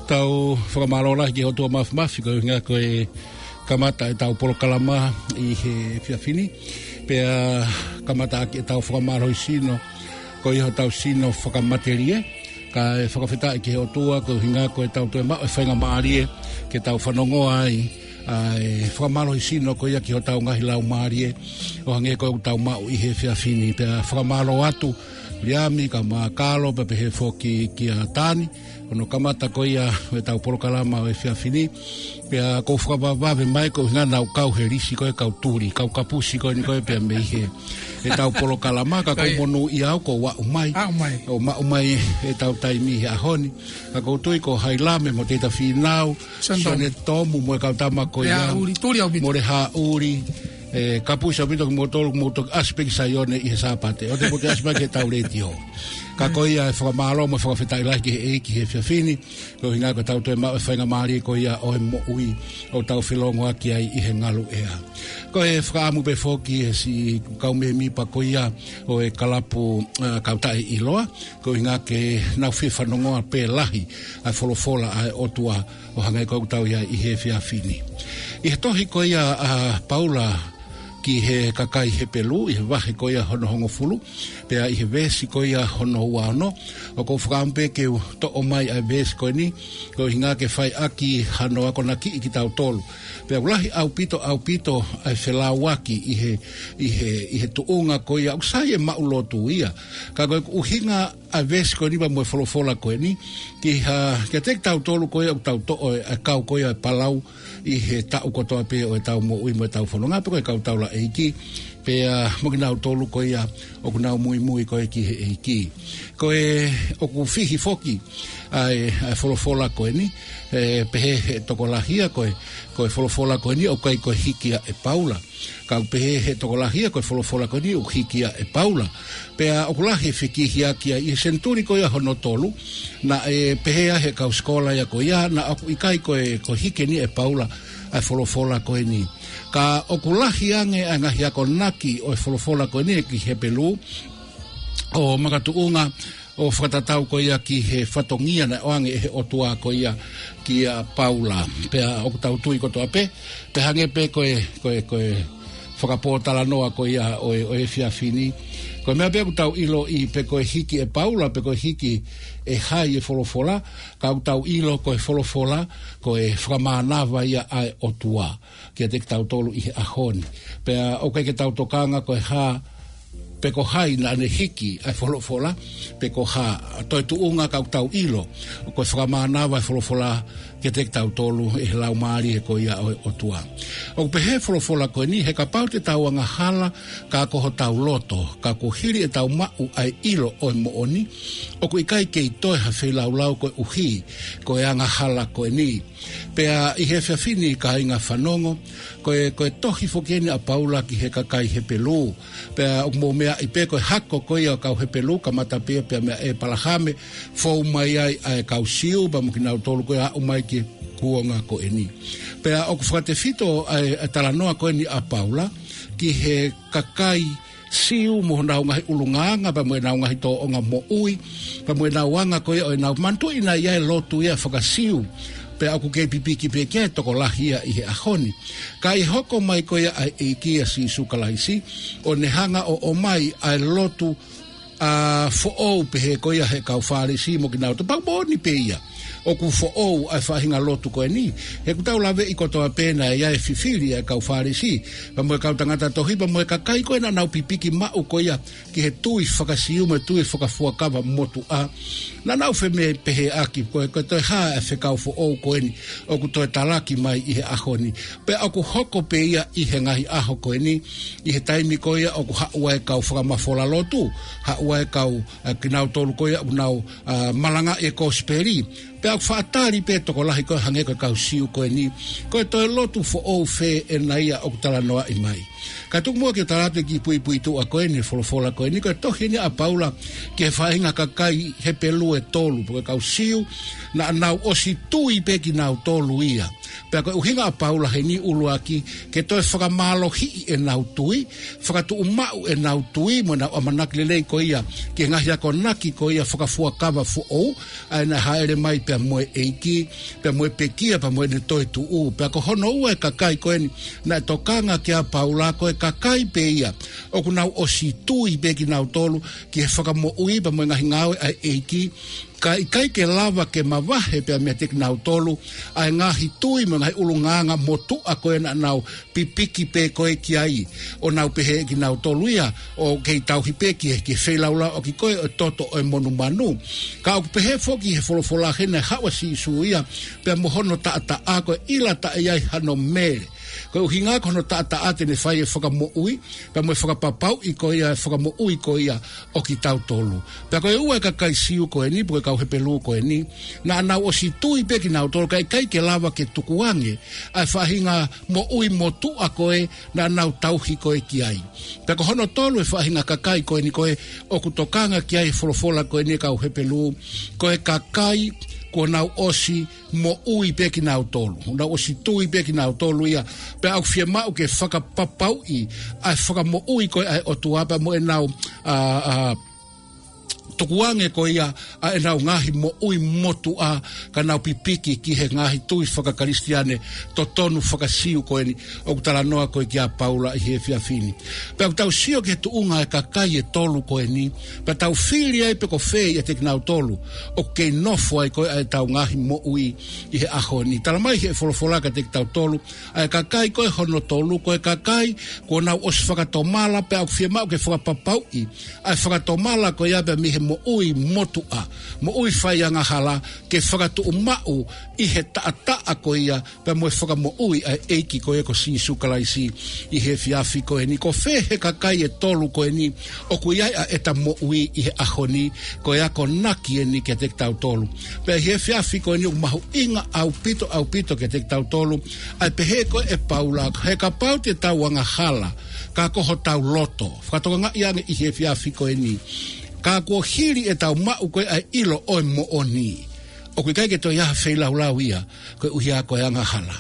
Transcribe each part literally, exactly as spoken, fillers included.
Tau fakamālō lahi ki he ʻOtua Mafimafi, ko e ʻuhinga ko e kamata ʻetau polokalama ʻi he efiafi ni. Pea kamata ʻaki ʻetau fakamālohi sino, ko ia hotau sino fakamatelie. Kae fakafetaʻi ki he ʻOtua, ko e ʻuhinga ko ʻetau toe maʻu e faingamālie ke tau fanongoa ai ʻa e fakamālohi sino ko ia ki hotau ngaahi laumālie, ʻo hangē ko ʻetau maʻu ʻi he efiafi ni. Pea fakamālō atu, Liami, ka mākalo, pea pehē foki kia Tani, hono kamata ko ia ʻetau polokalama ʻo e efiafi ni. Pea ʻoku ou fakavavevave mai ko e ʻuhinga naʻa nau kau he lisi ko e kau tuli, kau kapusi ko eni ko e pea mei he ʻetau polokalama, ka ʻoku ou monūʻia au kuo u aʻu mai. Aʻu mai. ʻO maʻu mai ʻetau taimi he ʻaho ni. Ka ʻoku ou tui ko Hailame mo Teita Fīnau, Sione Tomu. Sione Tomu mo e kau tama ko ia. Haʻuli, tuli ʻaupito. Mo e haʻuli, ʻe, kapusi ʻaupito kimoutolu, mou toki ʻasi pē ki Saione ʻi he Sāpate. ʻOua te mou toe ʻasi mai ki heʻetau letiō. Ka ko ia e fakamālō mo e fakafetaʻi lahi ki he ʻEiki he efiafi ni, ko e ʻuhinga ko ʻetau toe maʻu e faingamālie ko ia ʻo e moʻui ʻo tau felongoaki ai ʻi he ngaluʻea. Ko e fakaʻamu pē foki ʻe siʻi kau mēmipa ko ia ʻo e kalapu, ʻa, Kau Taʻeʻiloa, ko e ʻuhinga ke nau fie fanongoa pē lahi ʻa e folofola ʻa e ʻOtua ʻo hangē ko ʻetau ʻi ai ʻi he efiafi ni. ʻI he tohi ko ia ʻa Paula ki he kakai Hepelū, ʻi he vahe ko ia hono hongofulu, pea ʻi he veesi ko ia hono ua ono, ʻoku ou fakaʻamu pē ke u toʻo mai ʻa e veesi ko eni, ko e ʻuhinga ke fai ʻaki hano akonakiʻi kitautolu. Pea ʻoku lahi ʻaupito, ʻaupito ʻa e felauaki ʻi he, ʻi he, ʻi he tuʻunga ko ia, ʻoku sai e maʻu lotu ia. Ka ko e ʻuhinga ʻa e veesi ko eni pea mo e folofola ko eni, ki ha, kiate kitautolu ko ia ʻoku tau toʻo e, ʻa e kau ko ia e palau ʻi he taʻu kotoa pē ʻo ʻetau moʻui mo ʻetau fononga, pe ko e kau taulaʻeiki, pea mo kinautolu ko ia ʻoku nau muimui ko ē ki he ʻEiki. Ko e ʻoku fihi foki ʻa e, ʻa e folofola ko eni, ʻe, pehē ʻe he tokolahi ia ko e, ko e folofola ko eni ʻoku ʻikai ko e hiki ia ʻe Paula. Ka ʻoku pehē ʻe he tokolahi ia ko e folofola ko eni ʻoku hiki ia ʻe Paula. Pea ʻoku lahi e fekihiaki ai ʻi he senituli ko ia hono tolu, naʻe pehē ʻe he kau sikola ia ko ia, naʻa ʻoku ʻikai ko e, ko e hiki eni ʻe Paula ʻa e folofola ko eni. Ka ʻoku lahi ange ʻa e ngaahi akonaki ʻo e folofola ko eni ki Hepelū, ʻo makatuʻunga ʻo fakatatau ko ia ki he fatongia naʻe ʻoange ʻe he ʻOtua ko ia kia Paula. Pea ʻoku tau tui kotoa pē, pea hangē pē ko e, ko e, ko e fakapōtalanoa ko ia ʻo e, ʻo e efiafi ni. Ko e meʻa pē ʻoku tau ʻiloʻi pe ko e hiki ʻe Paula, pe ko e hiki ʻe hai e folofola, ka ʻoku tau ʻilo ko e folofola, ko e fakamānava ia ʻa e ʻOtua kiate kitautolu ʻi he ʻaho ni. Pea ʻoku ʻikai ke tau tokanga ko e hā, pe ko hai naʻa ne hiki ʻa e folofola, pe ko e hā, toe tuʻunga ka ʻoku tau ʻilo, ko e fakamānava e folofola kiate kitautolu ʻe he Laumālie ko ia ʻo e ʻOtua. ʻOku pehē folofola ko eni, he kapau te tau angahala ka ko hotau loto, ka kuo hili ʻetau maʻu ʻa e ʻilo ʻo e moʻoni, ʻoku ʻikai kei toe ha feilaulau koeʻuhi ko e angahala ko eni. Pea ʻi he efiafi ni kāinga fanongo, ko e, ko e tohi foki eni ʻa Paula ki he kakai Hepelū. Pea ʻoku mou meaʻi pē ko e hako ko ia ʻo e kau Hepelū, kamata pē ia pea mei ʻĒpalahame, fou mai ai ʻa e kau Siu, pea mo kinautolu ko ia aʻu mai ki he kuonga ko eni. Pea ʻoku fakatefito ʻa e, ʻa e talanoa ko eni ʻa Paula ki he kakai Siu mo honau ngaahi ʻulungaanga, pea mo ʻenau ngaahi tōʻonga moʻui, pea mo ʻenau anga ko ia ʻo ʻenau manatuʻi naʻe ʻi ai e lotu ia faka-Siu. Pea ʻoku kei pipiki pē ki ai e tokolahi ia ʻi he ʻaho ni. Ka ʻi he hoko mai ko ia ʻa e ʻEiki ʻa Sīsū Kalaisi, ʻo ne hanga ʻo ʻomai ʻa e lotu, ʻa, foʻou pehē ko ia ʻe he kau Fālesi mo kinautolu, pea ʻoku moʻoni pē ia ʻoku foʻou ʻa e faʻahinga lotu ko eni. He ʻoku tau laveʻi kotoa pē naʻe ʻi ai e fifili ʻa e kau Fālesi, pea mo e kau tangata tohi, pea mo e kakai ko ē naʻa nau pipiki maʻu ko ia ki he tui faka-Siu mo e tui fakafuakava motuʻa. Naʻa nau feme-, pehēʻaki ko e, ko e toe hā e fekau foʻou ko eni ʻoku toe talaki mai ʻi he ʻaho ni. Pea ʻoku hoko pē ia ʻi he ngaahi ʻaho ko eni, ʻi he taimi ko ia ʻoku haʻu ai e kau fakamafola lotu, haʻu ai e kau, ʻa, kinautolu ko ia ʻoku nau, ʻa, malangaʻi e kosipeli. Pea ʻoku faʻa tali pē tokolahi ko ē hangē ko e kau Siu ko eni, ko e toe lotu foʻou fē ʻena ia ʻoku talanoaʻi mai. Ka tuku muʻa ke u tala atu e kiʻi puipuituʻa ko eni, folofola ko eni, ko e tohi eni ʻa Paula ki he faʻahinga kakai Hepelū ʻe tolu, pe ko e kau Siu, naʻa nau ʻosi tui pē kinautolu ia. Pea ko e ʻuhinga ʻa Paula heni ʻuluaki, ke toe fakamālohiʻi ʻenau tui, fakatuʻumaʻu ʻenau tui, mo ʻenau ʻamanaki lelei ko ia ki he ngaahi akonaki ko ia fakafuakava foʻou, ʻa ē naʻe hāʻele mai pē mo e ʻEiki, pea mo e pekia, pea mo ʻene toetuʻu. Pea ko hono ua e kakai ko eni naʻe tokanga kia Paula, ko e kakai pē ia ʻoku nau ʻosi tui pē kinautolu ki he fakamoʻui pea mo e ngaahi ngāue ʻa e ʻEiki, ka ʻikai ke lava ke mavahe pea meiate kinautolu ʻa e ngaahi tui mo e ngaahi ʻulungaanga motuʻa ko ē naʻa nau pipiki pē ko ē ki ai, ʻo nau pehē ʻe kinautolu ia ʻoku kei tauhi pē ki he, ki he feilaulau ʻaki ko ē ʻo e toto ʻo e monumanu. Ka ʻoku pehē foki he folofola heni naʻe haʻu ʻa Sīsū ia pea mo hono taʻataʻa, ko e ʻiloa taʻe ʻi ai hano mele. Ko e ʻuhinga ko hono taʻataʻa te ne fai e fakamoʻui, pea mo e fakapapauʻi ko ia, e fakamoʻui ko ia ʻo kitautolu. Pea ko e ua e kakai Siu ko eni, pe ko e kau Hepelū ko eni, naʻa nau ʻosi tui pē kinautolu, ka ʻikai ke lava ke tukuange ʻa e faʻahinga moʻui motuʻa ko ē naʻa nau tauhi ko ē ki ai. Pea ko hono tolu e faʻahinga kakai ko eni ko ē ʻoku tokanga ki ai e folofola ko eni e kau Hepelū, ko e kakai kuo nau ʻosi moʻui pē kinautolu. Nau ʻosi tui pē kinautolu ia. Pea ʻoku fiemaʻu ke fakapapauʻi ʻa e fakamoʻui ko ē ʻa e ʻOtua pea mo ʻenau, ʻa, ʻa, tukuange ko ia ʻa ʻenau ngaahi moʻui motuʻa, ka nau pipiki ki he ngaahi tui faka-Kalisitiane totonu faka-Siu ko eni ʻoku talanoa ko ē kia Paula ʻi he efiafi ni. Pea ʻoku tau sio ki he tuʻunga e kakai e tolu ko eni, pea tau fili ai pe ko fē ʻiate kinautolu ʻoku kei nofo ai ko ē ʻa ʻetau ngaahi moʻui ʻi he ʻaho ni. Talamai he folofola kiate kitautolu, ʻa e kakai ko ē hono tolu, ko e kakai kuo nau ʻosi fakatomala, pea ʻoku fiemaʻu ke fakapapauʻi ʻa e fakatomala ko ia pea mei he moʻui motuʻa, moʻui faiangahala, ke fakatuʻumaʻu ʻi he taʻataʻa ko ia pea mo e fakamoʻui ʻa e ʻEiki ko ia ko Sīsū Kalaisi ʻi he efiafi ko eni. Ko fē he kakai e tolu ko eni ʻoku ʻi ai ʻa ʻeta moʻui ʻi he ʻaho ni, ko e akonaki eni kiate kitautolu. Pea ʻi he efiafi ko eni ʻoku mahuʻinga ʻaupito, ʻaupito kiate kitautolu ʻa e pehē ko ē ʻe Paula, he kapau te tau angahala, ka ko hotau loto. Fakatokangaʻi ange ʻi he efiafi ko eni, ka kuo hili ʻetau maʻu ko ē ʻa e ʻilo ʻo e moʻoni, ʻoku ʻikai ke toe ʻi ai ha feilaulau ia koeʻuhi ko e angahala.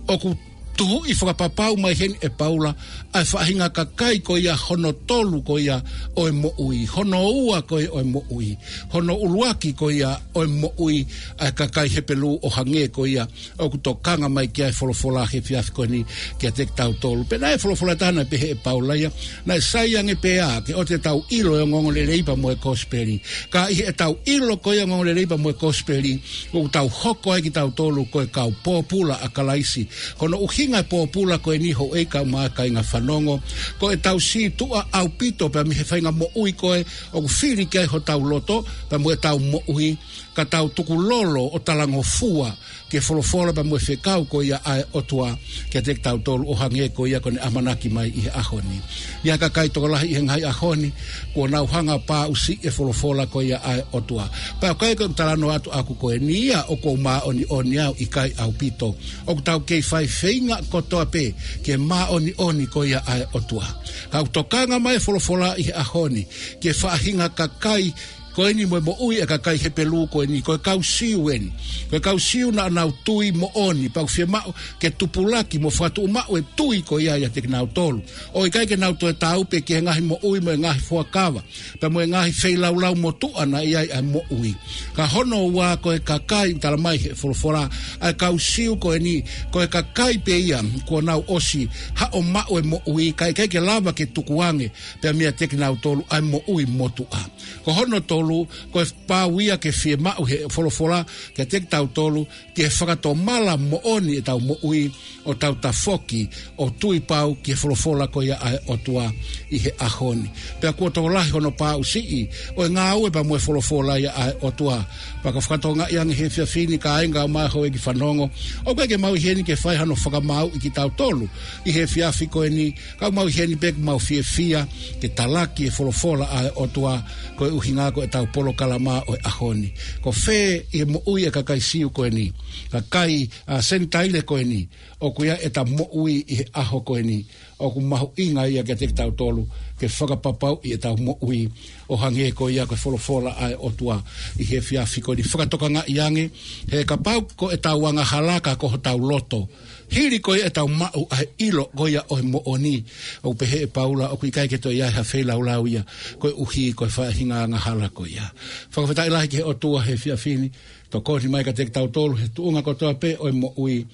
ʻOku tuhuʻi fakapapau mai heni ʻe Paula ʻa e faʻahinga kakai ko ia hono tolu ko ia ʻo e moʻui, hono ua ko ia ʻo e moʻui, hono ʻuluaki ko ia ʻo e moʻui ʻa e kakai Hepelū, ʻo hangē ko ia ʻoku tokanga mai ki ai e folofola he efiafi ko eni kiate kitautolu. Pea naʻe folofola ʻe taha naʻe pehē ʻe Paula ia, naʻe sai ange pē ia ke ʻoua te tau ʻilo e ongoongolelei pea mo e kosipeli. Ka ʻi heʻetau ʻilo ko ia e ongoongolelei pea mo e kosipeli, ʻoku tau hoko ai kitautolu ko e kau pōpula ʻa Kalaisi. Ko hono ʻuhinga e pōpula ko eni, houʻeiki kaeʻumaʻā kāinga fanongo, ko ʻetau sītuʻa ʻaupito pea mei he faʻahinga moʻui ko ē ʻoku fili ki ai hotau loto pea mo ʻetau moʻui, ka tau tukulolo ʻo talangofua ki he folofola pea mo e fekau ko ia ʻa e ʻOtua kiate kitautolu, ʻo hangē ko ia kuo ne ʻamanaki mai ʻi he ʻaho ni. ʻI ai e kakai tokolahi ʻi he ngaahi ʻaho ni kuo nau hanga ʻo paʻusiʻi e folofola ko ia ʻa e ʻOtua. Pea ʻoku ʻikai ko e talanoa atu ʻaku ko eni ia ʻoku ou māʻoniʻoni au, ʻikai ʻaupito. ʻOku tau kei fai feinga kotoa pē ki he māʻoniʻoni ko ia ʻa e ʻOtua. Ka ʻoku tokanga mai e folofola ʻi he ʻaho ni ki he faʻahinga kakai ko eni mo e moʻui e kakai Hepelū ko eni, ko e kau Siu eni. Ko e kau Siu naʻa nau tui moʻoni, pea ʻoku fiemaʻu ke tupulaki mo fakatuʻumaʻu e tui ko ia ʻiate kinautolu, ʻo ʻikai ke nau toe tāupe ki he ngaahi moʻui mo e ngaahi fuakava pea mo e ngaahi feilaulau motuʻa naʻe ʻi ai ʻa e moʻui. Ka hono ua ko e kakai, talamai he folofola, ʻa e kau Siu ko eni, ko e kakai pē ia kuo nau ʻosi haʻo maʻu e moʻui, ka ʻikai ke lava ke tukuange pea meiate kinautolu ʻa e moʻui motuʻa. Ko hono tolu, ko e pau ia ke fiemaʻu he folofola kiate kitautolu ki he fakatomala moʻoni ʻetau moʻui, ʻo tau tafoki ʻo tui pau ki he folofola ko ia ʻa e ʻOtua ʻi he ʻaho ni. Pea kuo tokolahi hono paʻusiʻi ʻo e ngāue pea mo e folofola ia ʻa e ʻOtua. Pea ka fakatokangaʻi ange he efiafi ni kāinga kaeʻumaʻā houʻeiki fanongo, ʻoku ʻikai ke mau ʻi heni ke fai hano fakamāuʻi kitautolu ʻi he efiafi ko eni, ka ʻoku mau ʻi heni pē ke mau fiefia ke talaki e folofola ʻa e ʻOtua, koeʻuhi ko ʻetau polokalama ʻo e ʻaho ni. Ko fē ʻi he moʻui e kakai Siu ko eni, kakai ʻa Senitaile ko eni, ʻoku ʻi ai ʻeta moʻui ʻi he ʻaho ko eni, ʻoku mahuʻinga ia kiate kitautolu ke fakapapauʻi ʻetau moʻui ʻo hangē ko ia ko e folofola ʻa e ʻOtua ʻi he efiafi ko eni. Fakatokangaʻi ange, he kapau ko ʻetau angahala ka ko hotau loto, hili ko ia ʻetau maʻu ʻa e ʻilo ko ia ʻo e moʻoni, ʻoku pehē ʻe Paula ʻoku ʻikai ke toe ʻi ai ha feilaulau ia, koeʻuhi ko e faʻahinga angahala ko ia. Fakafetaʻi lahi ki he ʻOtua he efiafi ni, tokoni mai kiate kitautolu he tuʻunga kotoa pē ʻo e moʻui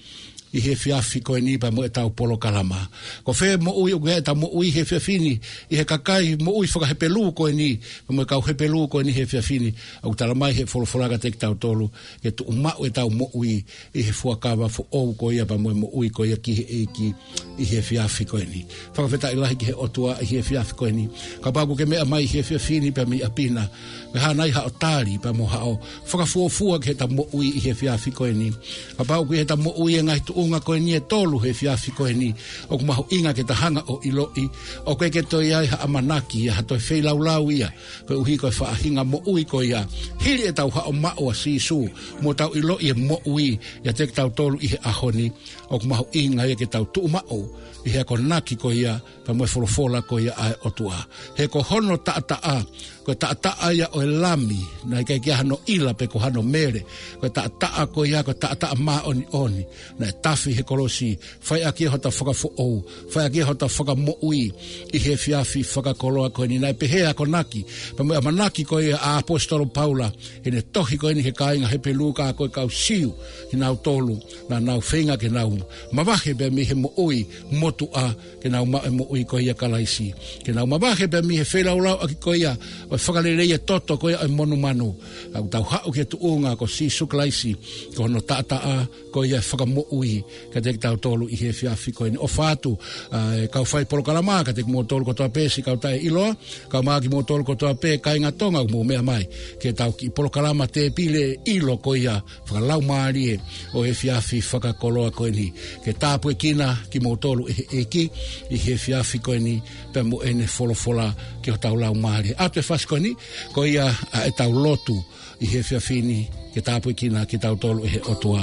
ʻi he efiafi ko eni pea mo ʻetau polokalama. Ko fē moʻui ʻoku ʻi ai ʻetau moʻui he efiafi ni ʻi he kakai moʻui faka-Hepelū ko eni, pea mo e kau Hepelū ko eni he efiafi ni, ʻoku tala mai he folofola kiate kitautolu ke tuʻumaʻu ʻetau moʻui ʻi he fuakava foʻou ko ia pea mo e moʻui ko ia ki he ʻEiki ʻi he efiafi ko eni. Fakafetaʻi lahi ki he ʻOtua ʻi he efiafi ko eni. Kapau ʻoku ke meʻa mai he efiafi ni pea mei ʻapi na, ke hā nai haʻo tali pea mo haʻo fakafuofua ki heʻeta moʻui ʻi he efiafi ko eni. Kapau ʻoku ʻi heʻeta moʻui e ngaahi tuʻunga ko eni ʻe tolu he efiafi ko eni, ʻoku mahuʻinga ke ta hanga ʻo ʻiloʻi ʻoku ʻikai ke toe ʻi ai ha ʻamanaki ia, ha toe feilaulau ia, koeʻuhi ko e faʻahinga moʻui ko ia, hili ʻetau haʻo maʻu ʻa Sīsū mo tau ʻiloʻi e moʻui ʻiate kitautolu ʻi he ʻaho ni, ʻoku mahuʻinga ia ke tau tuʻumaʻu ʻi he akonaki ko ia pea mo e folofola ko ia ʻa e ʻOtua. He ko hono taʻataʻa, ko e taʻataʻa ia ʻo e Lami, naʻe ʻikai ke ʻi ai hano ʻila pe ko hano mele, ko e taʻataʻa ko ia, ko e taʻataʻa māʻoniʻoni, naʻe tafi he kolosi, fai ʻaki ia hota fakafoʻou, fai ʻaki ia hota fakamoʻui ʻi he efiafi fakakoloa ko eni. Naʻe pehē ʻa e akonaki pea mo e ʻamanaki ko ia ʻa e ʻaposetolo Paula ʻi heʻene tohi ko eni ki he kāinga Hepelū, ka ko e kau Siu kinautolu naʻa nau feinga ke nau mavahe pea mei he moʻui motuʻa, ke nau maʻu e moʻui ko ia ʻia Kalaisi, ke nau mavahe pea mei he feilaulau ʻaki ko ia ʻo e fakalelei e toto ko ia ʻo e monumanu. Ka ʻoku tau haʻu ki he tuʻunga ko Sīsū Kalaisi, ko hono taʻataʻa ko ia e fakamoʻui kiate kitautolu ʻi he efiafi ko eni. ʻOfa atu ʻa e kau fai polokalama kiate kimoutolu kotoa pē siʻi kau taʻeʻiloa, kae ʻumaʻā kimoutolu kotoa pē kāinga Tonga ʻoku mou meʻa mai ki heʻetau kiʻi polokalama tēpile ʻilo ko ia fakalaumālie ʻo e efiafi fakakoloa ko eni. Ke tāpuekina kimoutolu ʻe he ʻEiki ʻi he efiafi ko eni pea mo ʻene folofola ki hotau laumālie. ʻAtu e fasi ko eni, ko ia ʻa ʻetau lotu ʻi he efiafi ni, ke tāpuekina kitautolu ʻe he ʻOtua.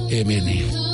ʻĒmeni.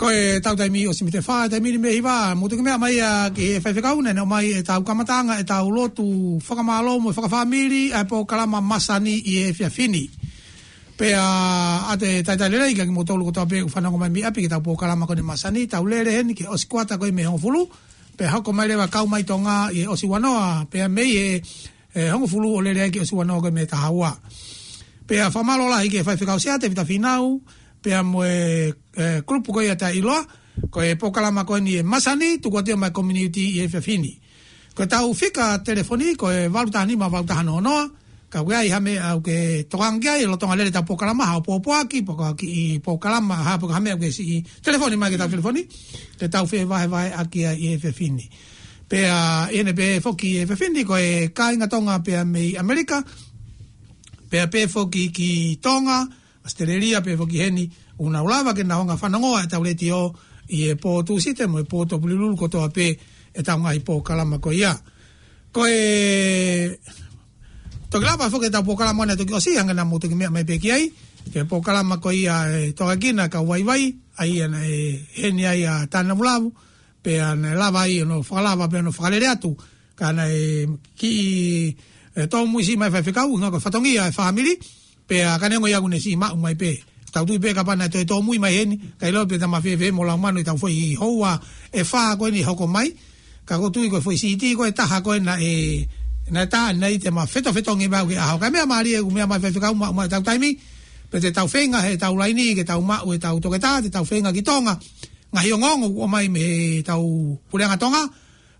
Ko e tau taimi ʻosi mite fā, taimi ni mei hiva, mou toki meʻa mai ā ki he faifekau naʻe ʻomai ʻetau kamataʻanga ʻetau lotu fakamālō mo fakafāmili ʻa e polokalama masani ʻi he efiafi ni. Pea ʻoatu e talitali lelei kiate kimoutolu kotoa pē ʻoku fanongo mai mei ʻapi ki heʻetau polokalama ko eni masani, tau lele heni ki he ʻosi kuata ko ē mei he hongofulu, pea hoko mai leva kau mai Tonga ʻi he ʻosi ua noa, pea mei he, e, hongofulu ʻo lele ai ki he ʻosi ua noa ko ē mei he taha ua. Pea fakamālō lahi ki he faifekau Sea Tēvita Fīnau, pea mo e, e, kulupu ko ia ʻa e ʻiloa, ko e polokalama ko eni e masani, tuku atu ia maʻá e community ʻi he efiafi ni. Ko ʻetau fika telefoni, ko e valu taha nima valu taha noa noa, ka ʻoku ʻi ai ha meʻa ʻoku ke tokanga ki ai, lolotonga lele ʻetau polokalama, ha ʻoku pōpoaki, pe ko ha kiʻi polokalama, ha pe ko ha meʻa ʻoku ke siʻi telefoni mai ki heʻetau telefoni, ke tau fevahevaheʻaki ai ʻi he efiafi ni. Pea, ʻi heʻene pehē foki ʻi he efiafi ni, ko e kāinga Tonga pea mei ʻAmelika, pea pehē foki ki Tonga, ʻAositelēlia pea foki heni, ʻoku nau lava ke nau hanga ʻo fanongoa ʻetau letiō ʻi he pō Tūsite mo e pō Tuʻapulelulu kotoa pē ʻetau ngaahi polokalama ko ia. Ko e toki lava foki ʻetau polokalama naʻe toki ʻosi, hangē naʻa mou toki meʻa mai pē ki ai, ki he polokalama ko ia ʻe tokanga ki he kau vaivai, ʻa ia naʻe heni ai ʻa Tāne Lavulavu, pea naʻe lava ai hono fakalava pea hono fakalele atu, ka naʻe kiʻi, e, tōmui siʻi mai faifekau, ʻuhinga ko e fatongia e fāmili, pea ka neongo ia ʻoku ne siʻi maʻu mai pē. Tau tui pē kapau naʻe toe tōmui mai heni, ʻikai ʻilo pe te ma fēfē mo Laumanu ʻi heʻetau foʻi houa ʻe fā ko eni hoko mai. Ka ʻoku ou tui ko e foʻi siti ko e taha ko ē naʻe, naʻe tā naʻe ʻi ai te ma fetofetongi mai au ki he ʻaho. Ka meʻa mālie ʻoku meʻa mai faifekau maʻu mai ʻetau taimi, pea te tau feinga heʻetau laini, ke tau maʻu ʻetau toketā, te tau feinga ki Tonga. Ngaahi ongoongo ʻoku ʻomai mei heʻetau Puleʻanga Tonga,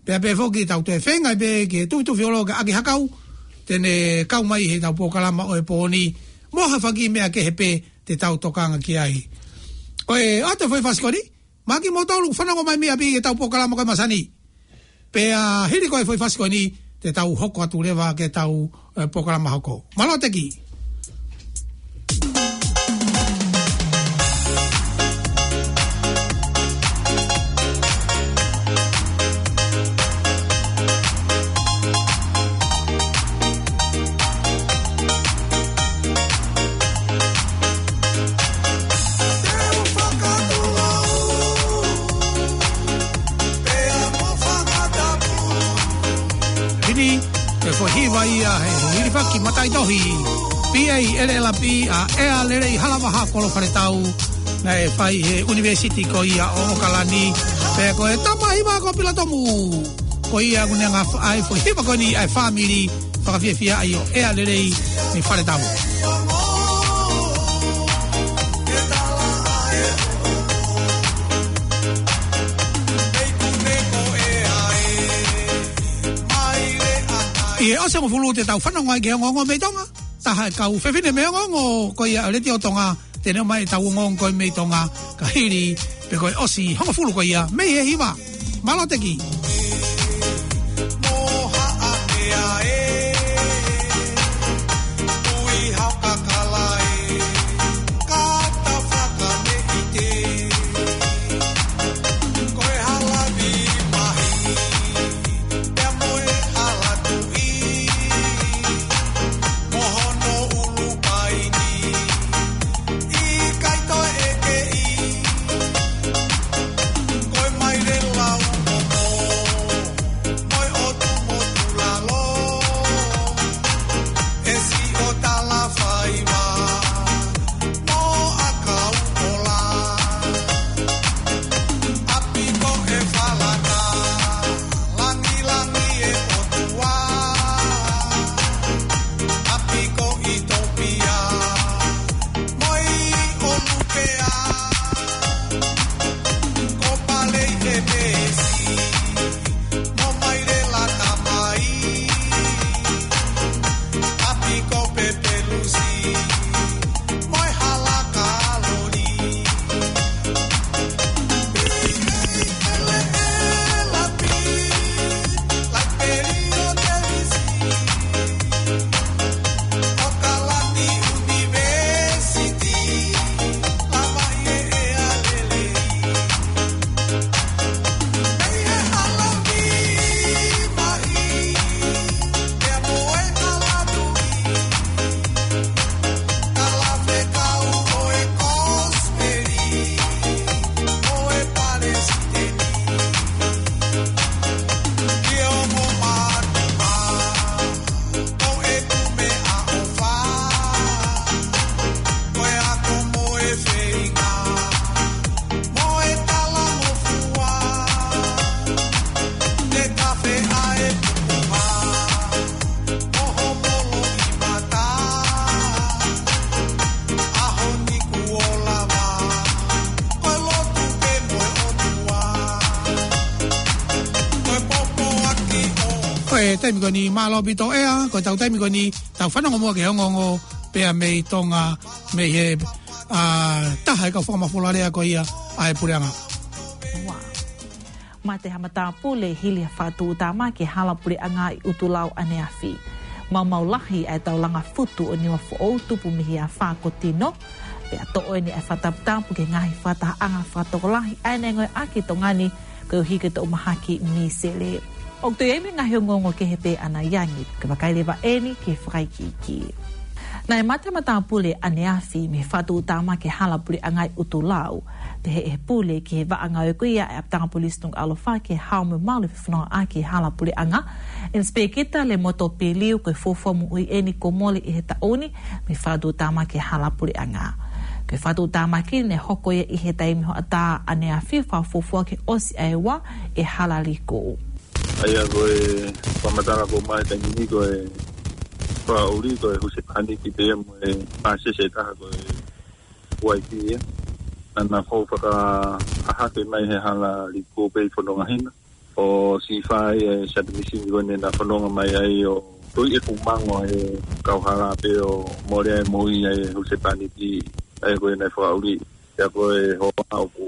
pea pehē foki tau toe feinga pē ke tufi tufi ʻo lō ke ʻaki ha kau, te ne kau mai heʻetau polokalama ʻo e pō ni, mo ha fanga kiʻi meʻa kehe pē te tau tokanga ki ai. Ko e ʻoatu e foʻi fasi ko eni, maʻa kimoutolu ʻoku fanongo mai mei ʻapi ki heʻetau polokalama ko ē masani. Pea hili ko e foʻi fasi ko eni, te tau hoko atu leva ki heʻetau, e, polokalama hoko. Mālō Teki. Heni, ko e foʻi hiva ia he hilifaki mataʻitohi, P A L L P, ʻa ʻEa Lelei Halavaha Kolofaletau, naʻe fai he ʻUnivēsiti ko ia ʻo ʻOkalani, pea ko e tama hiva ko Pilatomu. Ko ia ʻoku ne hanga ʻo fai e foʻi hiva ko eni ʻa e fāmili fakafiefiaʻi ʻo ʻEa Lelei mei Faletau. ʻI he ʻosi hongofulu te tau fanongo ai ki he ongoongo mei Tonga. Taha e kau fefine mei he ongoongo ko ia ʻo e Letiō Tonga, te ne ʻomai ʻetau ongoongo ko ē mei Tonga, ka hili pē ko e ʻosi hongofulu ko ia mei he hiva. Mālō Teki. E taimi ko eni mālō ʻaupito ʻEa, ko e tau taimi ko eni tau fanongo muʻa ki he ongoongo pea mei Tonga, mei he, ā, taha e kau fakamafola lea ko ia ʻa e puleʻanga. Ua. Mate ha matāpule hili ha fakatuʻutāmaki ki he hala puleʻanga ʻi ʻUtulau ʻaneafi. Maumau lahi ʻa e taulanga futu ʻo Niuafoʻou tupu mei he afā ko Tino. Pea toʻo eni ʻa e fakataputapu ki he ngaahi fakatahaʻanga fakatokolahi ʻa e neongo ʻaki Tonga ni koeʻuhi ko e toʻu mahaki misele. ʻOku toe ʻi ai mo e ngaahi ongoongo kehe pē ʻanai ange, kae vakai leva eni ki he fakaikiiki. Naʻe mate ha matāpule ʻaneafi mei he fakatuʻutāmaki ki he hala puleʻanga ʻi ʻUtulau, pehē ʻe he pule ki he vaʻa ngāue ko ia ʻa e ʻapitanga polisi Nukuʻalofa ki he hao mo e malu ʻo e fefonongaʻaki hala puleʻanga, Inspector Lemoto Piliu, ko e fuofua moʻui eni kuo mole ʻi he taʻu ni mei he fakatuʻutāmaki ki he hala puleʻanga. Ko e fakatuʻutāmaki naʻe hoko ia ʻi he taimi hoʻatā ʻaneafi, fakafuofua ke ʻosi ʻa e ua ʻi he hala liku. ʻA ia ko e fakamatala ko ē mai taimi ni ko e fakaʻuli ko e husepāniti pea mo e pāsese ʻe taha ko e uaifi ia. Naʻa na fou fakahahake mai he hala liku pē ʻi Fononga Hina. ʻO siʻi fai e submission ko eni naʻa na fononga mai ai ʻo tui e kumango e kauhala pea ʻo mole ai moʻui ʻa e husepāniti ʻa ia ko ē naʻe fakaʻuli. ʻA ia ko e hoa ʻoku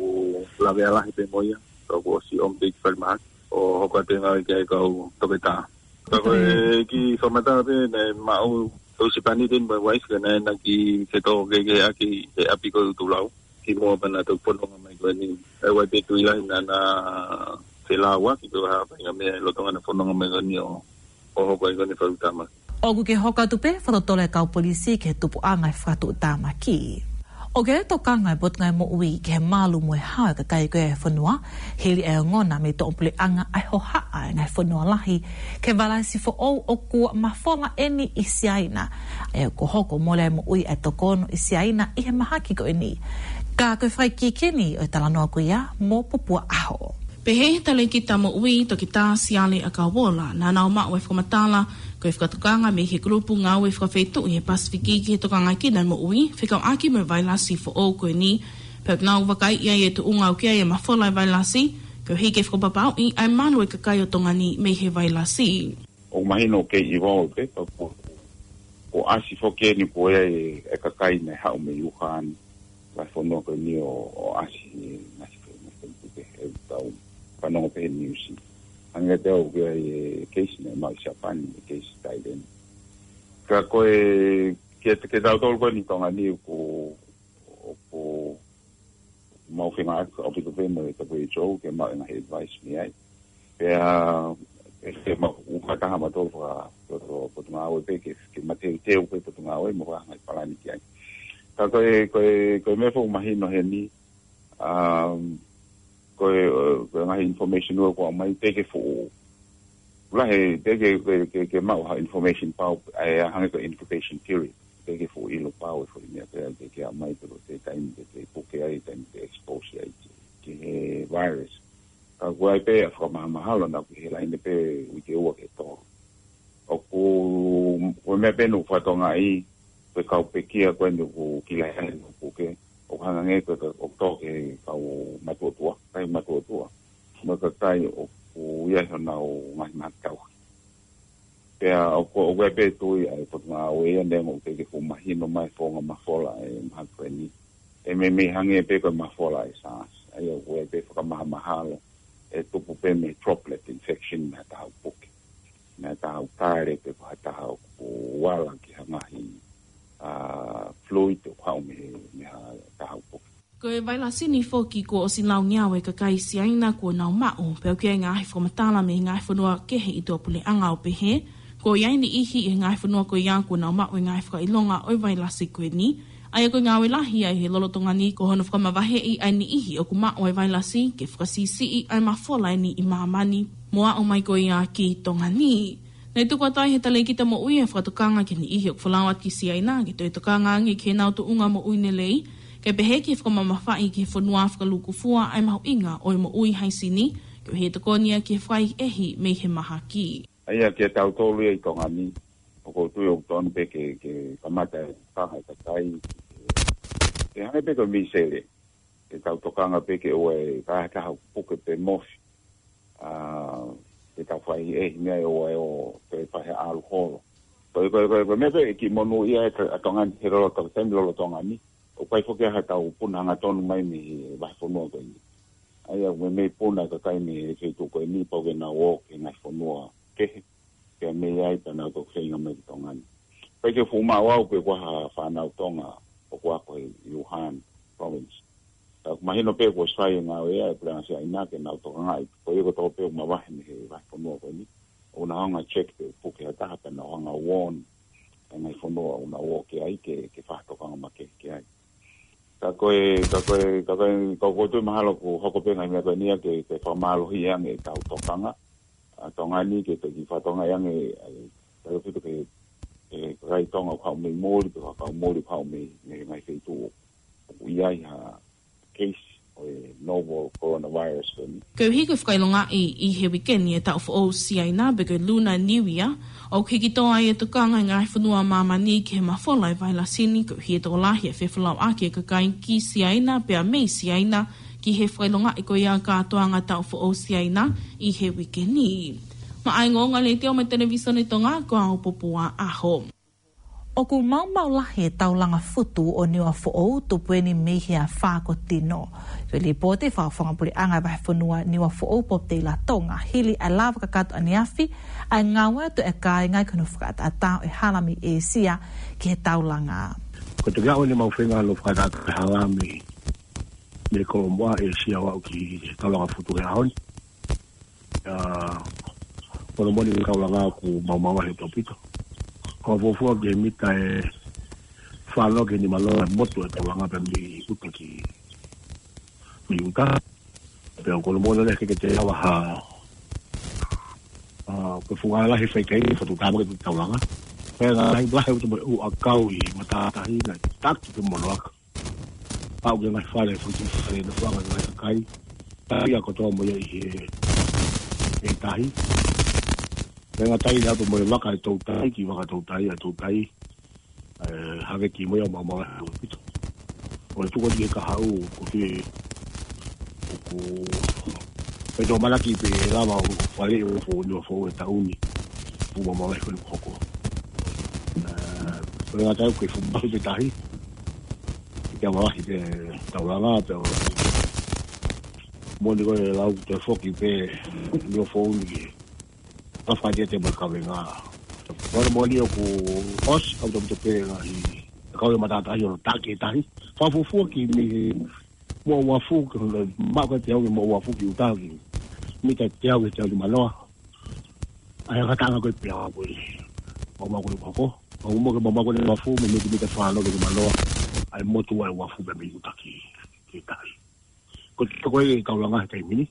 lavea lahi pē mo ia. Ka kuo ʻosi ʻomi pē ki fale mahaki ʻo hoko atu e ngāue ki ai e kau toketā. Ka ko e kiʻi fakamatala pē naʻe maʻu e husepāniti mo e uaifi ka naʻe na ki he tō kehekehe ʻaki he ʻapi ko ē ʻUtulau. Kimuʻa pea na toki fononga mai ko eni. ʻA ia ʻoku ʻi ai pē tui lahi naʻa na felāuaki pē ha faʻahinga meʻa ʻi loto ʻena fononga mai ko eni ʻo, ʻo hoko ai ko eni e fakatuʻutāmaki. ʻOku kei hoko atu pē fakatotolo ʻa e kau polisi ki he tupuʻanga e fakatuʻutāmaki. ʻOku kei tokanga e Potungāue Moʻui ki he malu mo e hao e kakai ko ē ʻo e fonua, hili ʻa e ongona mei he toʻu puleʻanga ʻa e hohaʻa e ngaahi fonua lahi ki he vailasi foʻou ʻoku mafola eni ʻi Siaina. ʻA ia kuo hoko mole ai e moʻui ʻa e toko ono ʻi Siaina ʻi he mahaki ko eni. Ka ko e fakaikiiki eni ʻo e talanoa ko ia mo Popua ʻAho. Pehē ʻe he talēkita moʻui, Toketā Siale ʻAkauola, naʻa nau maʻu e fakamatala ko e fakatokanga mei he kulupu ngāue fakafeituʻu ʻi he Pasifiki ki he tokangaʻi kinautolu e moʻui fekauʻaki mo e vailasi foʻou ko eni. Pea ʻoku nau vakaiʻi ai e tuʻunga ʻoku ʻi ai e mafola e vailasi, koeʻuhi ke fakapapauʻi ʻa e malu e kakai ʻo Tonga ni mei he vailasi. ʻOku mahino ʻoku kei evolve pē, pea kuo, kuo ʻasi foki eni ko ē e, e kakai naʻe haʻu mei Wuhan, vahefonua ko eni ʻo, ʻo ʻasi, ngaahi fe-, ngaahi feituʻu pē he tau fanongo pē he news. Hangē pē ʻoku ʻi ai e case naʻe maʻu ʻi Siapani, e case Thailand. Ka ko e, ke, ke tau tolu ko eni Tonga ni ʻoku, ʻoku mau fengāueʻaki ʻaupito pē mo e W H O ke maʻu e ngaahi advice mei ai. Pea, ʻe ke mau ʻuha taha mautolu faka, faka, Potungāue pē ke, ke mateuteu pē Potungāue mo fakahangai palani ki ai. Ka ko e, ko e, ko e meʻa foʻou mahino heni, um, ko e, ko e ngaahi information ua kuo ʻomai teʻeki fuʻu. Lahi, teʻeki ke, ke, ke maʻu ha information pau, ʻa ia hangē ko e incubation period. Teʻeki fuʻu ʻilo pau e foʻi meʻa pea ke, ke ʻomai pē ko e taimi ke, ke puke ai, taimi ke expose ai ki, ki he virus. Ka ʻoku ʻi ai pē ʻa e fakamahamahalo naʻa ku ʻi he laine pē uike ua ki he tolu. ʻOku, ko e meʻa pē naʻa ku fakatokangaʻi, ko e kau pekia ko eni ʻoku kila ai ʻoku puke, ʻoku hangē ko e, ʻoku tō ki he kau matuʻotuʻa, kakai matuʻotuʻa. Mo e kakai ʻoku ʻi ai honau ngaahi mahaki tauhi. Pea ʻoku, ʻoku ʻi ai pē tui ʻa e Potungāue ia neongo ʻoku teʻeki fuʻu mahino mai e founga mafola e mahaki ko eni. ʻE meimei hangē pē ko e mafola e SARS. ʻA ia ʻoku ʻi ai pē fakamahamahalo ʻe tupu pē mei he droplet infection mei ha taha ʻoku puke. Mei ha taha ʻoku kale pe ko ha taha ʻoku ala ki ha ngaahi, ā, fluid ʻoku haʻu mei he, mei ha taha ʻoku puke. Ko e vailasi ni foki kuo ʻosi lau ngeau e kakai Siaina kuo nau maʻu, pea ʻoku ʻi ai e ngaahi fakamatala mei he ngaahi fonua kehe ʻi tuʻapuleʻanga ʻo pehē, kuo ʻi ai e niʻihi ʻi he ngaahi fonua ko ia kuo nau maʻu e ngaahi fakaʻilonga ʻo e vailasi ko eni. ʻA ia ko e ngāue lahi ʻa e lolotonga ni ko hono fakamavaheʻi ʻa e niʻihi ʻoku maʻu e vailasi ke fakasiʻisiʻi ʻa e mafola eni ʻi māmani mo aʻu mai ko ia ki Tonga ni. Naʻe tuku atu ai ʻe he talēkita moʻui e fakatokanga ki he niʻihi ʻoku folau atu ki Siaina ke toe tokanga ange ki heʻenau tuʻunga moʻui lelei, kae pehē ki he fakamamafaʻi ki he fonua fakalūkufua ʻa e mahuʻinga ʻo e moʻui haisini, koeʻuhi ʻe tokoni ia ki he fakaʻehiʻehi mei he mahaki. ʻA ia kia tautolu ia ʻi Tonga ni, ʻoku ou tui ʻoku totonu pē ke, ke kamata e tokanga e kakai, ke hangē pē ko e misele, ke tau tokanga pē ke ʻoua ʻe kau ha taha ʻoku puke pe mofi. Ā, ʻetau fai ʻe he meʻa ʻo ʻai ʻo te fai he ʻalu holo. Ko e, ko e, ko e, ko e meʻa pē ʻe kiʻi monūʻia ʻa Tonga ni he lolotonga, taimi lolotonga ni. ʻOku ʻi ai foki ha tau puna hangatonu mai mei he vahefonua ko eni. ʻA ia ʻoku meimei puna e kakai mei he feituʻu ko eni pau ke nau ō ki he ngaahi fonua kehe. Pea mei ai pea nau toki feinga mai ki Tonga ni. Pea ʻikai ke fuʻu maʻu au pe ko e hā ha fānau Tonga ʻoku ako ʻi Wuhan Province. Ka ʻoku mahino pē kuo ʻosi fai e ngāue ia ʻa e Puleʻanga Siaina ke nau tokangaʻi. Ko ia kotoa pē ʻoku mavahe mei he vahefonua ko eni. ʻOku nau hanga ʻo check pe ʻoku puke ha taha pea nau hanga ʻo warn e ngaahi fonua ʻoku nau ō ki ai ke, ke fakatokanga makehe ki ai. Ka ko e, ka ko e, ka ko e, ka ko e toe mahalo ʻoku hoko pē ngaahi meʻa ko eni ia ke, ke fakamālohi ange ʻetau tokanga ʻa Tonga ni ke, ke kiʻi fakatokangaʻi ange, ʻa e, tautefito ki he, ki he kakai Tonga ʻoku haʻu mei muli, pe ko e kau muli ʻoku haʻu mei, mei he ngaahi feituʻu ʻoku ʻi ai ha case ʻo e novel coronavirus ko eni. Koeʻuhi ko e fakaʻilongaʻi ʻi he uike ni e taʻu foʻou Siaina pe ko e Lunar New Year, ʻoku hiki tō ai e tokanga ʻa e ngaahi fonua ʻa māmani ki he mafola ʻa e vailasi ni, koeʻuhi ʻe tokolahi e fefolauʻaki ʻa e kakai ki Siaina pea mei Siaina ki he fakaʻilongaʻi ko ia e kātoanga taʻu foʻou Siaina ʻi he uike ni. Maʻá e ongoongo ʻa e Letiō mo e Televisone Tonga, ko au Popua ʻAho. ʻOku maumau lahi e taulanga futu ʻo Niuafoʻou tupu eni mei he afā ko Tino. Ko e lipooti ʻa e Fakafofonga Puleʻanga ʻa e Vahefonua Niuafoʻou, Pope Teilatonga, hili ʻa e lava kakato ʻaneafi ʻa e ngāue atu ʻa e kāinga ki hono fakaʻataʻatā ʻo e hala mei ʻĒsia ki he taulanga. Ko e takiaʻu eni ʻemau feinga hono fakaʻataʻatā e hala mei, mei Kolomoʻa, ʻĒsia ʻo aʻu ki he taulanga futu he ʻaho ni. ʻA, ko hono moʻoni e taulanga ʻoku maumau lahi ʻaupito. Ko e fuofua ki he mita ʻe fā noa ki he nima noa e motu e taulanga pea mei ʻuta ki, mei ʻuta. Pea ko hono moʻoni leva ke, ke te lava ha, ʻa, ko e fuʻu ngāue lahi fai ki ai e fatu tāmaki e taulanga. Pea ngāue lahi, lahi ʻaupito mo e ʻū ʻakau ʻi matātahi naʻe taki pē mo hono aka. Aʻu ki he ngaahi fale, fale, fale, naʻe fuʻu anga e ngaahi kakai. Tahi ia kotoa mo ia ʻi he, he tahi. Pea ngata ai atu mo e vaka e toutai, ki vaka toutai, ʻa e toutai. ʻE, haveki mo ia maumau lahi ʻaupito. ʻO e tuku atu ki he kahaʻu, ko e, ʻoku, ʻe tō malaki pē ʻe lava ʻo faleʻi ʻo fo, Niuafoʻou he taʻu ni. Fuʻu maumau lahi ko eni ʻoku hoko. ʻE, pea ngata ai ko e fuʻu mafi pē tahi. Ke maumau lahi pē taulanga pē ʻo. Moʻoni ko e lau te foki pē Niuafoʻou ni ke. Ka fai te te mo e kavenga. Ko hono moʻoni ʻoku ʻosi ʻaupito pē ngaahi. Kau e matātahi ʻo taki e tahi. Fakafuofua ki mei he Moʻouafu ki hono maʻu ko e teau ki Moʻouafu ki ʻuta ki mita teau ki he teau nima noa. ʻA e ngataʻanga ko e pea ko e maumau ko eni ʻoku hoko. Maumau ko e maumau ko eni uafu, mei mita, mita fā noa ki he nima noa. ʻA e motu ʻa e uafu pea mei ʻuta ki, ki tahi. Ko e toko e taulanga he taimi ni.